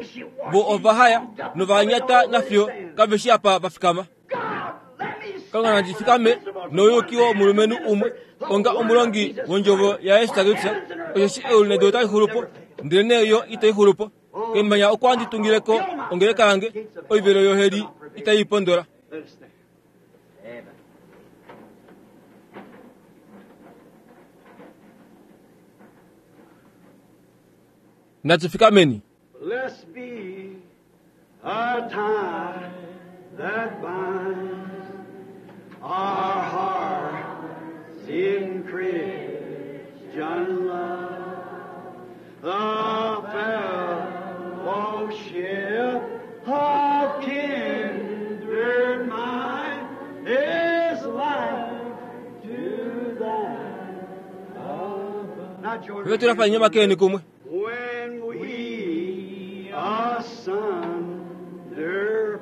Vo ova haya novanyata nafiyo kave shi apa va fikama. Kalunga nandi fikame nouyuki womulumenhu umwe onga omulongi wondjovo yaYesu Kristus, osheshi eulu nedu otali xulu po, ndelenee yo itai xulu po. Kemanya okwa handi tungileko ongeleka yange, oivelo yoheli itai pondola. Let us stand. Natu fikameni. Blessed be a tie that binds our hearts in Christian love. The fellowship of kindred mind is life to that above. Now, George, Fye tulafa nyomakeni kumwe. when we asunder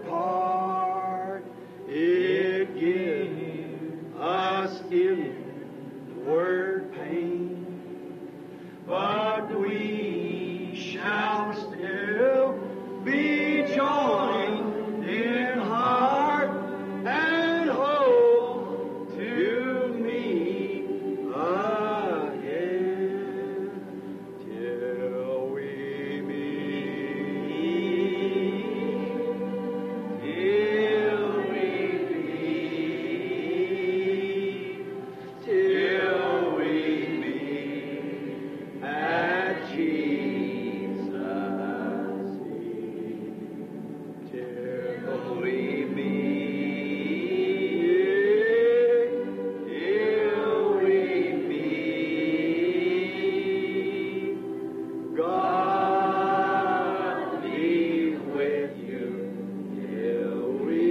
part, it gives us inward pain. But we shall still be joined in heart and hope to meet again. Till we meet, till we meet, till we meet at Jesus' feet. Till we meet, till we meet, God be with you till we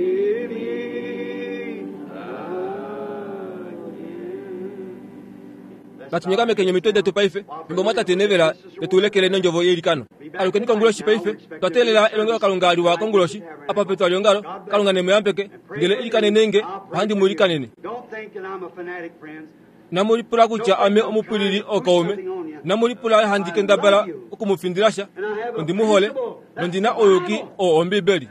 meet again. Natunyakamekenye omitwe detu paife fimbo mwatate nevela tetulekele nondjovo yeilikano. Alukeni konguloshi paife twatelela elongelo kalunga liwa konguloshi apa petwa liongalo. Kalunga nemuyambeke ndele ilikanenenge ohandi mu ilikanene. Don't think that I'm a fanatic, friends. Namulipula kutya ame omupwilili okaume. Namulipula handi kendabala okumufindila sha. Ondi mu hole nondina ouyuki oo Ombibeli.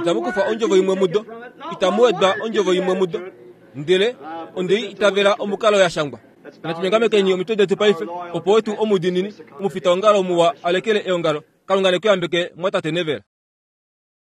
Itamu kufa ondjovo imwe mudo, itamu wedwa ondjovo imwe mudo, ndele ondei itavela omukalo ya shangwa. Natunyongamekeni omitwe detu paife opo wetu omudiinini omufitaongalo muwa alekele eongalo. Kalunga nekuyambeke mwatate Nevela.